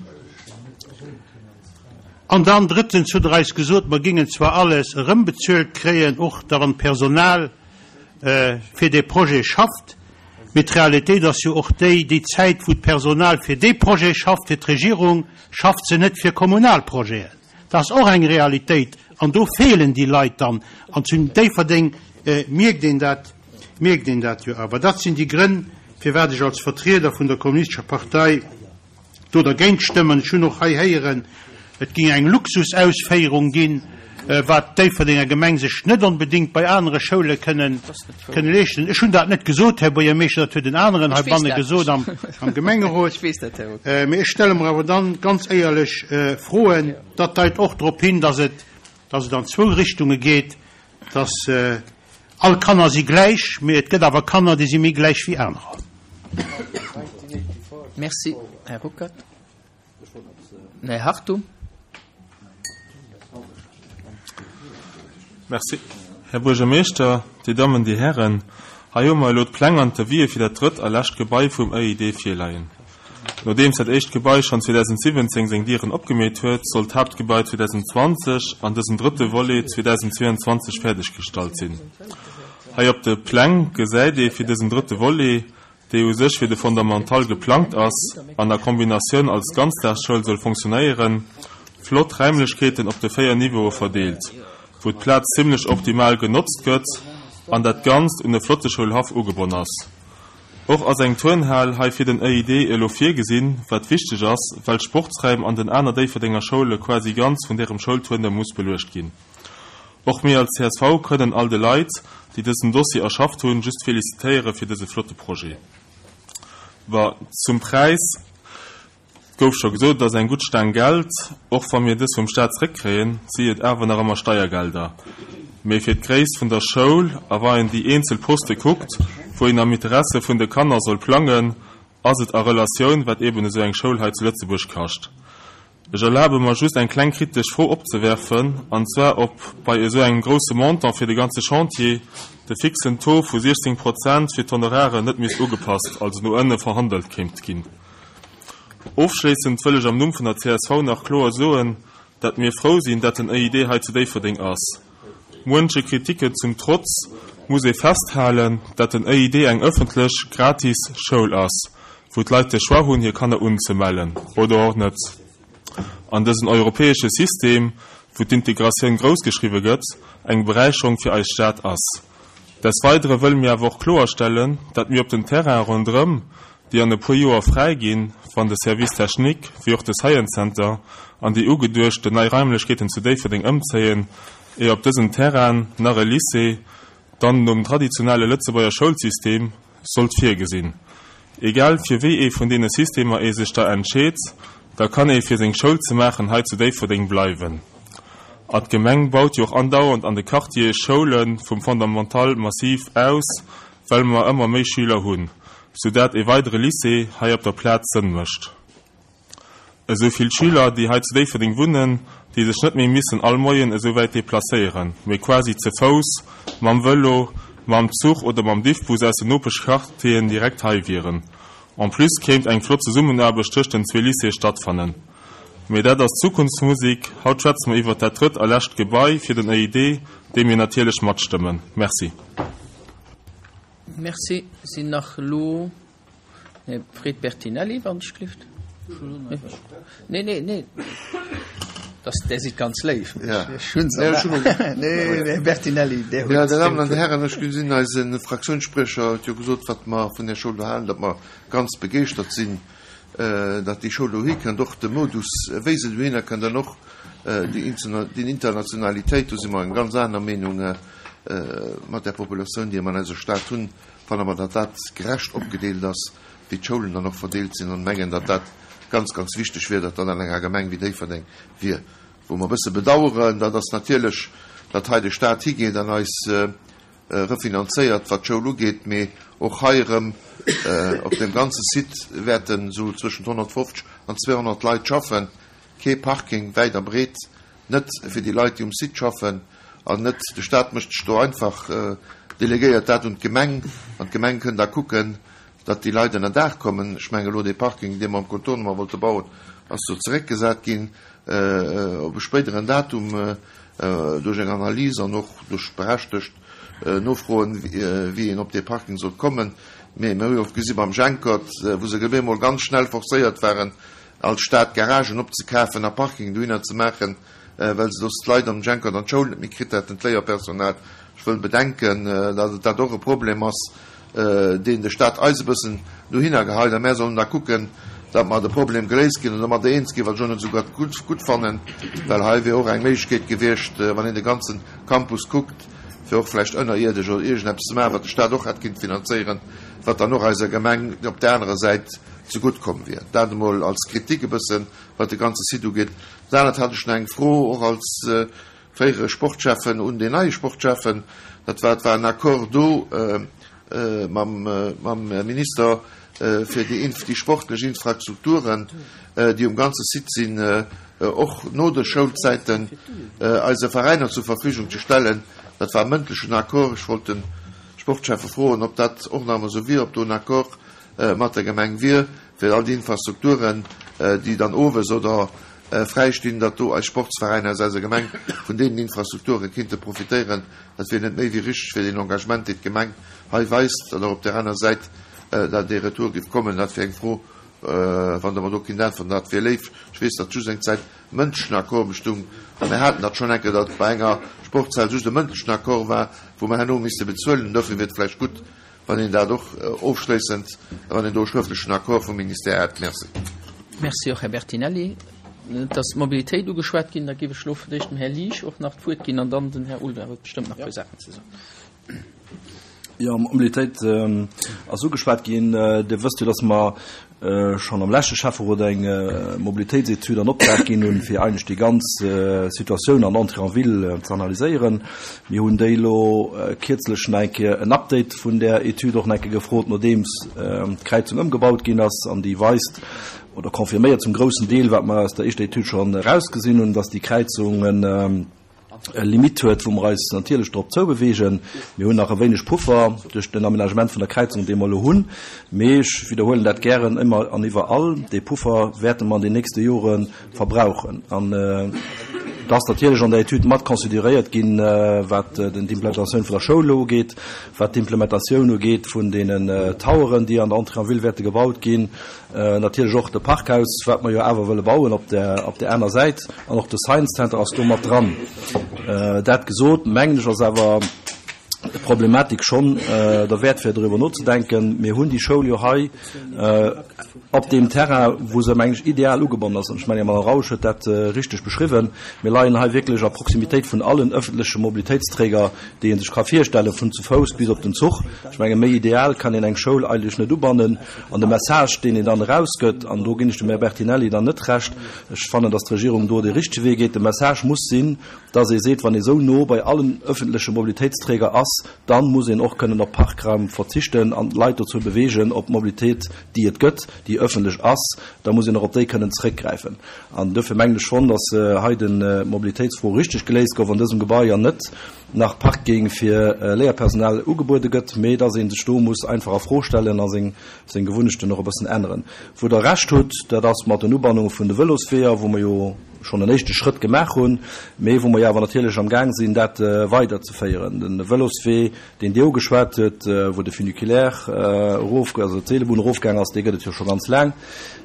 S7: An dann drëttens hutt Der eis gesot, mer géingen zwar alles erëmbezuelt kréien, och da wann d'Personal fir dee Projet schafft, mee d'Realitéit ass jo och déi, déi Zäit wou d'Personal fir dee Projet schafft, fir d'Regierung, schafft se net fir kommunal Projeten. Dat ass och eng Realitéit an do feelen déi Leit dann. An zu Déifferdeng mierkt een dat, mierkt een dat jo awer. Dat sinn déi Grënn, firwat ech als Vertrieder vun der Kommunistescher Partei do dergéint stëmmen. Ech hunn och hei héieren, et géing eng Luxusausféierung ginn, wat d'Déifferdenger Gemeng sech net onbedéngt bei anere Schoule kënnen leeschten. Ech hunn dat net gesot, Här Buergermeeschter, dat huet en aneren heibanne gesot am Gemengerot. Mee ech stelle mer awer dann ganz éierlech Froen. Dat deit och drop hin, dass et an zwou Richtunge geet, dass All Kanner si gläich, mee et gëtt awer Kanner, déi si méi gläich wéi anerer.
S1: Merci, Här Ruckert. Här Hartung.
S11: Merci, Här Buergermeeschter, Dir Dammen, Dir Hären. Hei hu mer elo d'Pläng an d'Devisë fir dat drëtt a lescht Gebai vum EID virleien. Nodeems dat éischt Gebai schonn 2017 seng Dieren opgemeet huet, soll d'Haaptgebai 2020 an dësen drëtte Volet 2022 fäerdeggestallt sinn. Hei op de Pläng gesäit ee fir dësen drëtte Volet, dee u sech fir de Fondamental geplangt ass an a Kombinatioun als Ganzdagsschoul soll fonctionnéieren, flott Räimlechkeeten op de 4 Niveaue verdeelt, wou d'Plaz zimmlech optimal genotzt gëtt an dat Ganzt un e flotte Schoulhaff ugebonn ass. Och ass eng Turnhal hei fir den EID elo virgesinn, wat wichteg ass, well d'Sportsräim an den aner Déifferdenger Schoule quasi ganz vun därem Schoulturne muss beluecht ginn. Och mir als csv kënnen all de Leit, déi dësen Dossier erschafft hunn, just felicitéiere fir dëse flotte Projet. Wa zum Präis. Et gouf scho gesot, et ass eng gutt Staang Geld. Och wa mir dës vum Staat zréckkréien, si et awer nach ëmmer Steiergelder. Mee fir d'Gréisst vun der Schoul a wa een déi eenzel Poste kuckt, wou een am Interesse vun de Kanner soll plangen, ass et a Relatioun, wat eben esou eng Schoul hei zu Lëtzebuerg kascht. Ech erlabe mer just eng kleng kritesch Fro opzewerfen, an zwar ob bei esou engem grousse Montant fir de ganze Chantier de fixen Taux vu 16 Prozent fir d'Honoraren net misst ugepasst, also no ënne verhandelt kéint ginn. Ofschléissend wëll ech am Numm vun der csv nach kloer soen, dat mir frou sinn, dat den EID hei zu Déifferdeng ass. Muenche Kritiken zum Trotz muss ee festhalen, dat den EID eng ëffentlech, gratis Schoul ass, wou d'Leit de Choix hunn, hir Kanner unzemellen oder och net. An dësen europäesche System, wou d'Integratioun groussgeschriwwe gëtt, eng Beräicherung fir eis Stad ass. Des Weidere wëlle mir awer och kloerstellen, dat mir op den Terrainen ronderëm, déi an e puer Joer fräi ginn, wann de Service technique wéi och de Science Center an déi ugeduechten nei Raimlechkeeten zu Déifferdeng ëmzéien, ier op dësen Terrainen nach e Lycée, dann nom traditionelle Lëtzebuerger Schoulsystem, sollt virgesinn. Egal fir wéi ee vun deene Systemer ee sech da entscheet, da kann ee fir seng Schoul ze maachen hei zu Déifferdeng bleiwen. A d'Gemeng baut jo och andauernd an de Quartiere Schoule vum Fondamental massiv aus, well mer ëmmer méi Schüler hunn, soudat e weidere Lycée hei op der Plaz Sënn mécht. Esou vill Schüler, déi hei zu Déifferdeng wunnen, déi sech net méi missen all Moien esou wäit deplacéieren, mee quasi ze Fouss, mam Vëlo, mam Zuch oder mam Diffbus aus den Nopeschquartieren direkt hei wieren. En plus kéint eng flott Zesummenaarbecht tëscht den zwee Lycéeë stattfannen. Mee dat ass Zukunftsmusik. Haut schwätze mer iwwert dat drëtt a lescht Gebai fir den EID, dee mir natierlech matstëmmen. Merci.
S1: Merci. Sinn nach elo Här Fred Bertinelli, wann ech gelift. Nee, nee, nee. Das, der sieht ganz léif.
S8: Ja.
S1: Ech hunn se. Nee, Här Bertinelli, der huet.
S8: Ja, Dir Dammen an Dir Hären, ech gesinn, eise Fraktiounsspriecher huet jo gesot, wat mer vun där Schoul do halen, datt mer ganz begeeschtert sinn, datt déi Schoul dohi kënnt, och de Modus, wéi se dohinner kënnt an och déi Internationalitéit, do si mer eng ganz aner Meenung mat där Populatioun, déi mer an eiser Stad hunn. Fanne mer, datt dat gerecht opgedeelt ass, wéi d'Schoulen dann och verdeelt sinn, an mengen, datt dat ganz, ganz wichteg wier, datt dat an enger Gemeng wéi Déifferdeng wier. Wou mer e bësse bedauern, dat ass natierlech, datt hei de Stat higeet an eis refinanzéiert, wat d'Schoul ugeet, mee och hei erëm op deem ganze Site wäerten esou zwëschent 150 an 200 Leit schaffen. Kee Parking wäit a breet net fir déi Leit, déi um Site schaffen, an net de Stat mécht sech do einfach, delegéiert dat un d'Gemeng, an d'Gemeng kënn da kucken, datt déi Leit ënnerdaach kommen. Ech mengen elo dee Parking, dee mer am Contournement wollte bauen, ass do zeréckgesat ginn op e spéideren Datum duerch eng Analys an och duerch berechtegt Nofroen, wéi een op dee Parking sollt kommen. Mee mir hu jo och gesi beim Jenkert, wou se op eemol ganz schnell forcéiert waren, als Stad Garagen opzekafen a Parking dohinner ze maachen, well se soss d'Leit am Jenkert an d'Schoul net méi kritt hätten, d'Léierpersonal. Ech wëll bedenken, datt et dat och e Problem ass, deen de Stat eis e bëssen dohinner geheit, a mär sollen da kucken, datt mer de Problem geléist ginn an domadder eens ginn, wat ech och net esou grad gutt fannen, well hei wier och eng Méiglechkeet gewiescht, wann een de ganze Campus kuckt, fir och vläicht ënnerierdesch oder iergendeppes ze maachen, wat de Stat och hätt kinnt finanzéieren, wat dann och eiser Gemeng op där anerer Säit zegutt komm wier. Dat emol als Kritik e bëssen, wat de ganze Site ugeet. Dat anert hat ech nach eng Fro, och als fréiere Sportschäffen un deen neie Sportschäffen. Dat war, et war en Accord do mam, mam Minister fir déi, déi sportlech Infrastrukturen, déi um ganze Site sinn, och no de Schoulzäiten eise Veräiner zur Verfügung ze stellen. Dat war e mëndlechen Accord. Ech wollt de Sportschäffe froen, ob dat och nach ëmmer esou wier, ob do en Accord mat der Gemeng wier, fir all déi Infrastrukturen, déi dann owes oder fräi stinn, datt do eis Sportsveräiner aus eiser Gemeng vun deenen Infrastrukture kinnte profitéieren. Dat wier net méi wéi richteg fir deen Engagement, deen d'Gemeng hei weist, datt och op där aner Säit da dee Retour géif kommen. Dat wier eng Fro, wann Der mer do kinnt äntweren, dat wier léif. Ech weess, datt just eng Zäit mëndlechen Accord bestung, a mir haten dat schonn eng Kéier, datt bei enger Sportshal just e mëndlechen Accord war, wou mer herno misste bezuelen. Dofir wier et vläicht gutt, Wann een dat och ofschléissend, wann een do e schrëftlechen Accord vum Ministère hätt. Merci.
S1: Merci och, Här Bertinelli. Et ass d'Mobilitéit ugeschwat ginn. Da géif ech elo fir d'éischt dem Här Liesch och nach d'Wuert ginn an dann den Här Ulda huet bestëmmt nach e puer Saachen ze soen.
S12: Jo, Mobilitéit ass ugeschwat ginn. Dir wësst jo, dass mer schonn am leschte Schäfferot eng Mobilitéitsetüd an Optrag ginn hunn, fir eigentlech déi ganz Situatioun an Entrée en ville ze analyséieren. Mir hunn déi elo kierzlech nach eng Kéier en Update vun där Etüd och nach eng Kéier gefrot, nodeems d'Kräizung ëmgebaut ginn ass. An déi weist oder confirméiert zum groussen Deel, wat mer aus der éischter Etüd schonn erausgesinn hunn, dass déi Kräizungen, e Limite huet, wou mer eis natierlech drop zoubewegen. Mir hunn nach e wéineg Puffer duerch den Aménagement vun der Kräizung, dee mer elo hunn, mee ech widderhuelen dat gären ëmmer an iwwerall, dee Puffer wäerte mer an den nächste Jore verbrauchen. An et ass natierlech an der Etüd mat consideréiert ginn, wat d'Implementatioun vun der Schoul elo ugeet, wat d'Implementatioun ugeet vun deenen Toweren, déi an der Entrée en ville wäerte gebaut ginn, Natierlech och de Parkhaus, wat mer jo awer wëlle bauen op der, op där aner Säit. An och de Science Center ass do mat dran. Dat gesot, mengen ech, ass awer d'Problematik schonn derwäert, fir doriwwer nozedenken. Mir hunn déi Schoul jo hei op deem Terrain, wou se, mengen ech, ideal ugebonnen ass. An ech mengen, d'Madame Rausch huet dat richteg beschriwwen. Mir leien hei wierklech a Proximitéit vun allen öffentleche Mobilitéitsträger, déi ee sech ka virstellen, vun zu Fouss bis op den Zuch. Ech menge méi ideal kann een eng Schoul eigentlech net ubannen. An de Message, deen een dann erausgëtt, an do ginn ech dem Här Bertinelli dann net Recht, ech fannen, datt d'Regierung do de richtege Wee geet, de Message muss sinn, datt ee seet, wann ee sou no bei allen öffentleche Mobilitéitsträger ass, da muss een och kënnen op Parkraum verzichten an d'Leit dozou bewegen, op d'Mobilitéit, déi et gëtt, déi öffentlech ass, da muss een och op déi kënnen zeréckgräifen. An duerfir mengen ech schonn, datt hei d'Mobilitéitsfro richteg geléist gouf an dësem Gebai an net nach Parking fir Léierpersonal ugebuede gëtt, mee dass ee sech do muss einfach a Fro stellen a seng Gewunnechten och e bëssen änneren. Wou Der Recht hutt, dat ass mat den Ubannunge vun de Vëlosweeër, wou mer jo schonn en éischte Schrëtt gemaach hunn, mee wou mer jo awer natierlech amgaang sinn, dat weiderzeféieren. De Vëloswee, deen Dir ugeschwat hutt, wou de Funiculaire erof, also d'Seelebunn erofgaang ass, dee gëtt et jo scho ganz laang.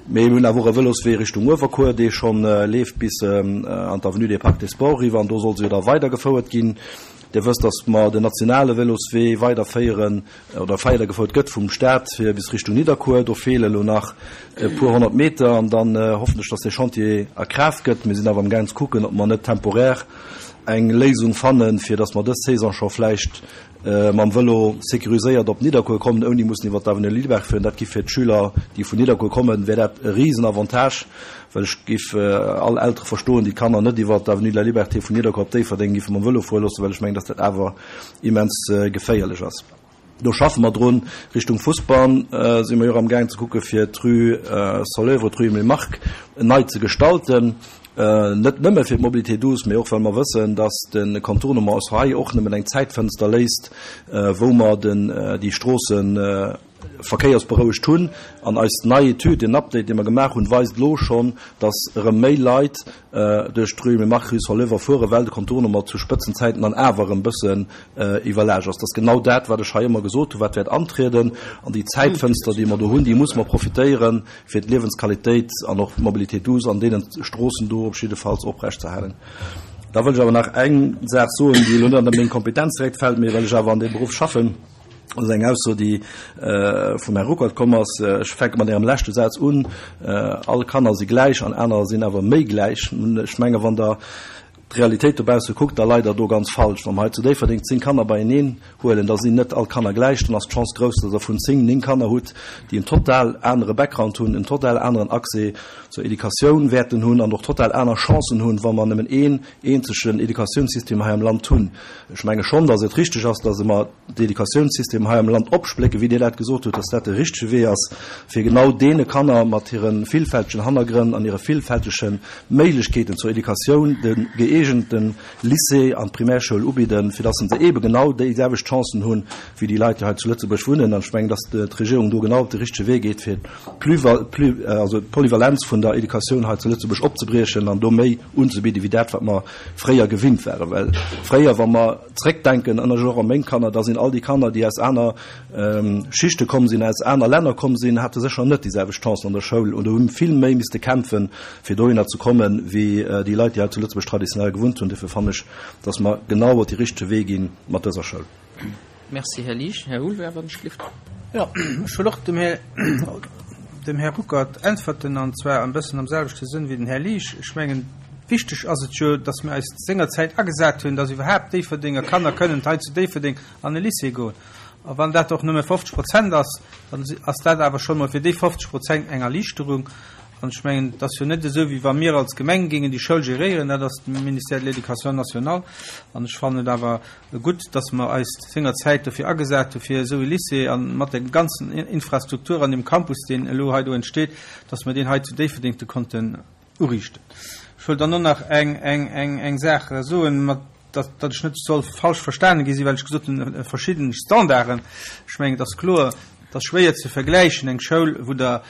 S12: Mee mir hunn awer och e Vëloswee Richtung Uewerkuer, dee scho leeft bis an d'Avenue des Parcs des Sports eriwwer, an do soll se jo da weidergefouert ginn. Dir wësst, datt mer den nationale Vëloswee weiderféieren oder weidergefouert gëtt vum Stat fir bis Richtung Nidderkuer. Do feele lo nach e puer 100 Meter an dann hoffen ech, datt dee Chantier a Kraaft gëtt. Mir sinn awer amgaang ze kucken, ob mer net temporär eng Léisung fannen, fir datt mer dës Saison scho vläicht mam Vëlo sécuriséiert op Nidderkuer kommen, ouni mussen iwwer d'Avenue Lilleberg fueren. Dat giff fir d'Schüler, déi vun Nidderkuer kommen, wär dat e Risenavantage, well ech giff all Eltere verstoen, déi d'Kanner net iwwer d'Avenue de la Liberté vun Nidderkuer op Déifferdeng giffe mam Vëlo fuere loossen, well ech mengen, dass dat awer immens geféierlech ass. Do schaffe mer drun. Richtung Fussbann si mer jo och amgaang ze kucke fir d'Rue Soleuvre, d'Rue Emile Mark nei ze gestalten. Net nëmme fir d'Mobilité douce, mee och well mer wëssen, dass de Contournement eis hei och nëmmen eng Zäitfënster léisst, wou mer den, déi Stroossen. verkéiersberouegt hunn. An eis nei Etüd, deen Update, dee mer gemaach hunn, weist elo schonn, dass erëm méi Leit duerch d'Rue Mémach, Rue Saint-Leu fueren, well de Contournement zu Spëtzenzäiten dann awer erëm e bëssen iwwerlaascht ass. Dat ass genau dat, wat ech hei ëmmer gesot hunn, wat wäert antrieden. An déi Zäitfënster, déi mer do hunn, déi muss mer profitéieren, fir d'Liewensqualitéit an och d'Mobilité douce an deenen Stroossen do op jiddefalls oprechtzeerhalen. Da wëll ech awer nach eng Saach soen, déi elo net an meng Kompetenz direkt fält, mee well ech awer an deem Beruff schaffen. Dat ass eng Ausso, déi vum Här Ruckert komm ass. Ech fänke mat Ärem leschte Saz un, All Kanner si gläich an aner sinn awer méi gläich. Ech menge wann Der d'Realitéit dobausse kuckt, da leit Der do ganz falsch. Wa mer hei zu Déifferdeng 10 Kanner beieneen huelen, da sinn net all Kanner gläich. Dann ass d'Chance grouss, datt Der vun 10 néng Kanner hutt, déi en total anere Background hunn, en total aneren Accès zur Educatioun wäerten hunn an och total aner Chancen hunn, wa mer nëmmen een eenzegen Educatiounssystem hei am Land hunn. Ech menge schonn, datt et richteg ass, datt mer d'Educatiounssystem hei am Land opsplécken, wéi Dir dat gesot hutt, datt dat de richtege Wee ass, fir genau deene Kanner mat hire villfältegen Hannergrënn an hire villfältege Méiglechkeeten zur Educatioun de gëeegente Lycée an d'Primärschoul ubidden, fir datt se eebe genau déiselwecht Chancen hunn, wéi déi Leit, déi hei zu Lëtzebuerg wunnen. An ech mengen, datt d'Regierung do genau op de richtege Wee geet, fir d'Polyvalenz vun der Educatioun hei zu Lëtzebuerg opzebriechen an do méi unzebidden, wéi dat, wat mer fréier gewinnt waren. Well fréier, wa mer zréckdenken, an ech och a meng Kanner, da sinn all déi Kanner, déi aus aner Schichte komm sinn, aus aner Länner komm sinn, hate sécher net déi selwecht Chancen an der Schoul oder hu vill méi misste kämpfen, fir dohinner ze kommen, wéi déi Leit, déi hei zu Lëtzebuerg traditionell gewunnt hunn. Dofir fannen ech, dass mer genau op dee richtege Wee gi mat dëser Schoul.
S1: Merci, Här Liesch. Här Houlwert, wann ech gelift.
S2: Jo, ech wëll och dem Här, dem Här Ruckert äntwerten, an zwar e bëssen am selwechte Sënn wéi den Här Liesch. Ech mengen, wichteg ass et jo, dass mir eis sengerzäit agesat hunn, dass iwwerhaapt Déifferdenger Kanner kënnen hei zu Déifferdeng an e Lycée goen. A wann dat och nëmme 50 Prozent ass, dann ass dat awer schonn emol fir déi 50 Prozent eng Erliichterung. An ech mengen, et ass jo net esou, wéi wa mir als Gemeng géingen déi Schoul geréieren, dat ass de Ministère de l'Éducation nationale. An ech fannen et awer gutt, dass mer eis sengerzäit dofir agesat hu fir esou e Lycée a mat der ganzen Infrastruktur an deem Campus, deen elo hei do entsteet, dass mer deen hei zu Déifferdeng de konnten uriichten. Ech wëll dann och nach eng, eng, eng, eng Saach soen, mat dass, datt ech net soll falsch verstane gi sinn, well ech gesot hunn, verschidden Standarden. Ech mengen, et ass kloer, et ass schwéier ze vergläichen eng Schoul, wou Der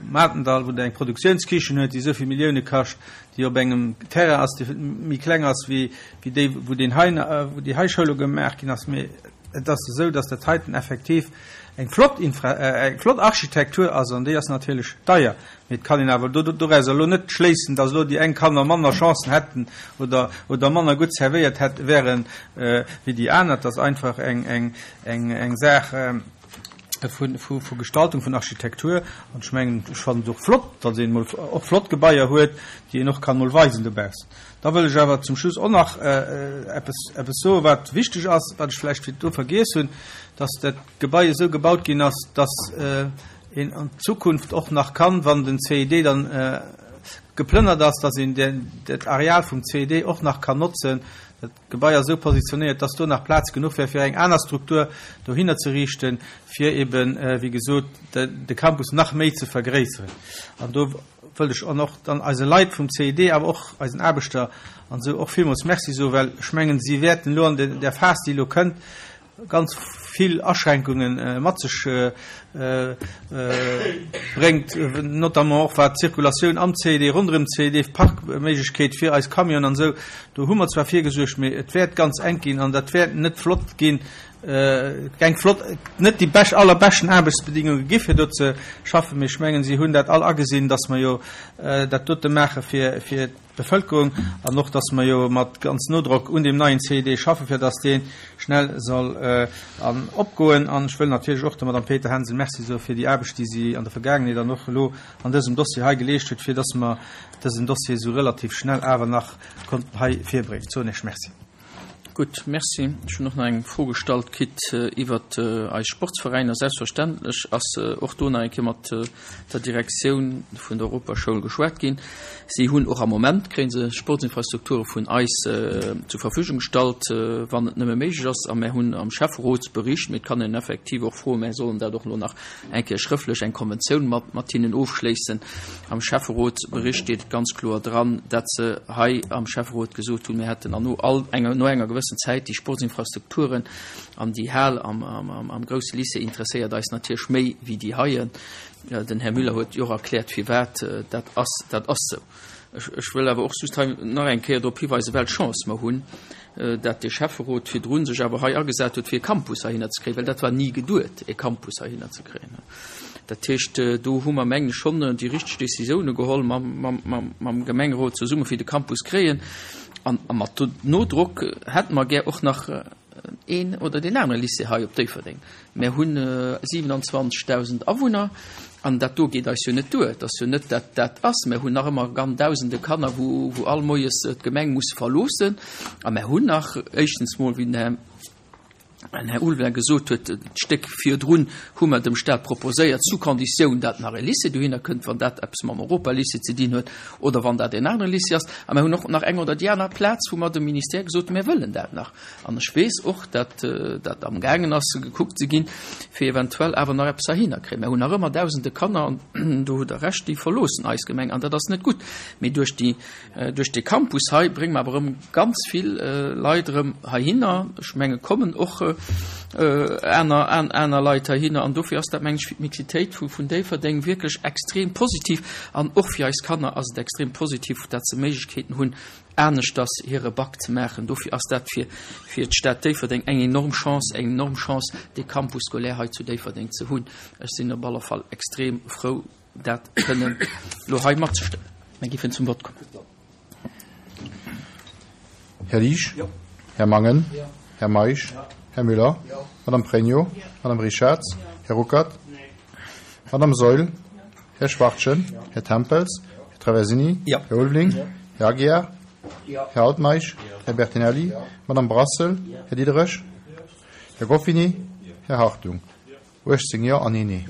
S2: Matendall, wou Der eng Produktiounskichen huet, déi esou vill Millioune kascht, déi op engem Terrain ass, dee méi kleng ass wéi déi, wou deen hei, wou déi hei Schoul gemaach ginn ass. Mee et ass esou, dass dat heiten effektiv eng flott Infra, eng flott Architektur ass an déi ass natierlech deier. Mee et kann een awer dorauser elo net schléissen, dass elo déi eng Kanner manner Chancen hätten oder, oder manner gutt servéiert hätt wären wéi déi aner. Et ass einfach eng, eng, eng, eng Saach vu, vu, vu Gestaltung, vun Architektur. An ech mengen, ech fannen et och flott, datt een emol och flott Gebaier huet, déi een och kann emol weisen dobaussen. Da wëll ech awer zum Schluss och nach eppes, eppes soen, wat wichteg ass, wat ech vläicht virdu vergiess hunn, datt dat Gebai esou gebaut ginn ass, datt een an Zukunft och nach kann, wann den CID dann geplënnert ass, datt een dat Areal vum CID och nach kann notzen. Dat Gebai ass esou positionéiert, dass do nach Plaz genuch wär, fir eng aner Struktur dohinner ze riichten, fir eben, wéi gesot, de Campus nach méi ze vergréisseren. An do wëllt ech och dann eise Leit vum CID, awer och eisen Aarbechter an esou och villmools Merci soen, well ech mengen, si wäerten elo an där Phas, déi elo kënnt, ganz vill Aschränkunge mat sech bréngt, notamment och wat d'Zirkulatioun am CED, ronderëm CED, d'Parkméiglechkeet fir eis Camionen an esou. Do hu mer zwar virgesuergt, mee et wäert ganz enk ginn an dat wäert net flott ginn, keng flott, net déi bescht, allerbeschten Aarbechtsbedingunge gi fir do ze schaffen. Mee ech mengen, si hunn dat all agesinn, dass mer jo dat dote maache fir, fir Bevëlkerung an och, dass mer jo mat ganz Nodrock un deem neien CID schaffen, fir dass dee schnell soll an opgoen. An ech wëll natierlech och der Madame Peter-Hensel Merci soe fir déi Aarbecht, déi si an der Vergaangenheet an och elo an dësem Dossier hei geleescht huet, fir dass mer dësen Dossier esou relativ schnell awer nach konnten hei virbréngen. Soen Iech Merci.
S1: Gutt, Merci. Ech hunn och nach eng Fro gestallt kritt iwwert eis Sportsveräiner. Selbstverständlech ass och do nach eng Kéier mat der Direktioun vun der Europaschoul geschwat ginn. Si hunn och am Moment, kréie se Sportsinfrastrukture vun eis zur Verfügung gestallt, wann et nëmme méiglech ass. A mär hunn am Schäfferotsbericht, mee et kann een effektiv och froen, mär sollen dat och elo nach eng Kéier schrëftlech eng Konventioun mat mat hinnen ofschléissen. Am Schäfferotsbericht steet et ganz kloer dran, dat se hei am Schäfferot gesot hunn, mir hätten an no all enger no enger gewëssener. gewëssen Zäit. Déi Sportsinfrastrukturen an déi Hal am grousse Lycée interesséiert eis natierlech méi wéi déi heien. Den Här Müller huet jo och erkläert, firwat dat ass. Dat ass esou. Ech wëll awer och just hei nach eng Kéier drop hiweisen, well Chance mer hunn, dat de Schäfferot virdru sech awer hei agesat huet, fir e Campus heihinner ze kréien, well dat war ni geduet, e Campus heihinner ze kréien. Dat heescht, do hu mer, mengen ech, schonn déi richteg Décisioune geholl mam Gemengerot zesumme fir de Campus kréien. An mat Nodrock hätte mer gär och nach een oder deen anere Lycée hei op Déifferdeng. Mär hunn 27.000 Awunner an dat do geet eis jo net duer. Et ass jo net, dat dat ass. Mär hunn nach ëmmer gan Dausende Kanner, wou wou all moies d'Gemeng muss verloossen. A mär hunn nach éischtens mol, wéi den Här den Här Ulveling gesot huet, d'Stéck virdrun hu mer dem Stat proposéiert, sous condition, dat nach e Lycée dohinner kënnt, wann dat eppes mam Europalycée ze dinn huet oder wann dat en anere Lycée ass. A mär hunn och nach eng oder déi aner Plaz, wou mer dem Ministère gesot hunn, mär wëllen dat nach. An ech weess och, datt dat amgaangen ass gekuckt ze ginn, fir eventuell awer nach eppes heihinner kréien. Mir hunn nach ëmmer Dausende Kanner, an do hutt Der Recht, déi verloossen eis Gemeng, an dat ass net gutt. Mee duerch déi, duerch dee Campus hei brénge mer awer erëm ganz vill Leit erëm heihinner. Ech menge kommen och aner, aner Leit heihinner. An dofir ass dat, meng ech, fir d'Mixitéit vun Déifferdeng wierklech extrem positiv. An och fir eis Kanner ass et extrem positiv, datt se Méiglechkeeten hunn, aneschters hire Bac ze maachen. Dofir ass dat fir fir d'Stad Déifferdeng eng enorm Chance, eng enorm Chance, dee Campus scolaire hei zu Déifferdeng ze hunn. Ech sinn op alle Fall extrem frou, dat kënnen elo hei matzestëmmen. Mir géifen zum Vott kommen.
S9: Här Liesch? Här Mangen? Här Meisch? Här Müller? Madame Pregno? Madame Richarz? Här Ruckert? Madame Saeul? Här Schwachtgen? Här Tempels? Här Traversini? Här Ulveling? Här Aguiar? Här Altmeisch? Här Bertinelli? Madame Brassel? Här Diderich? Här Goffini? Här Hartung? 18 Jo an een Nee.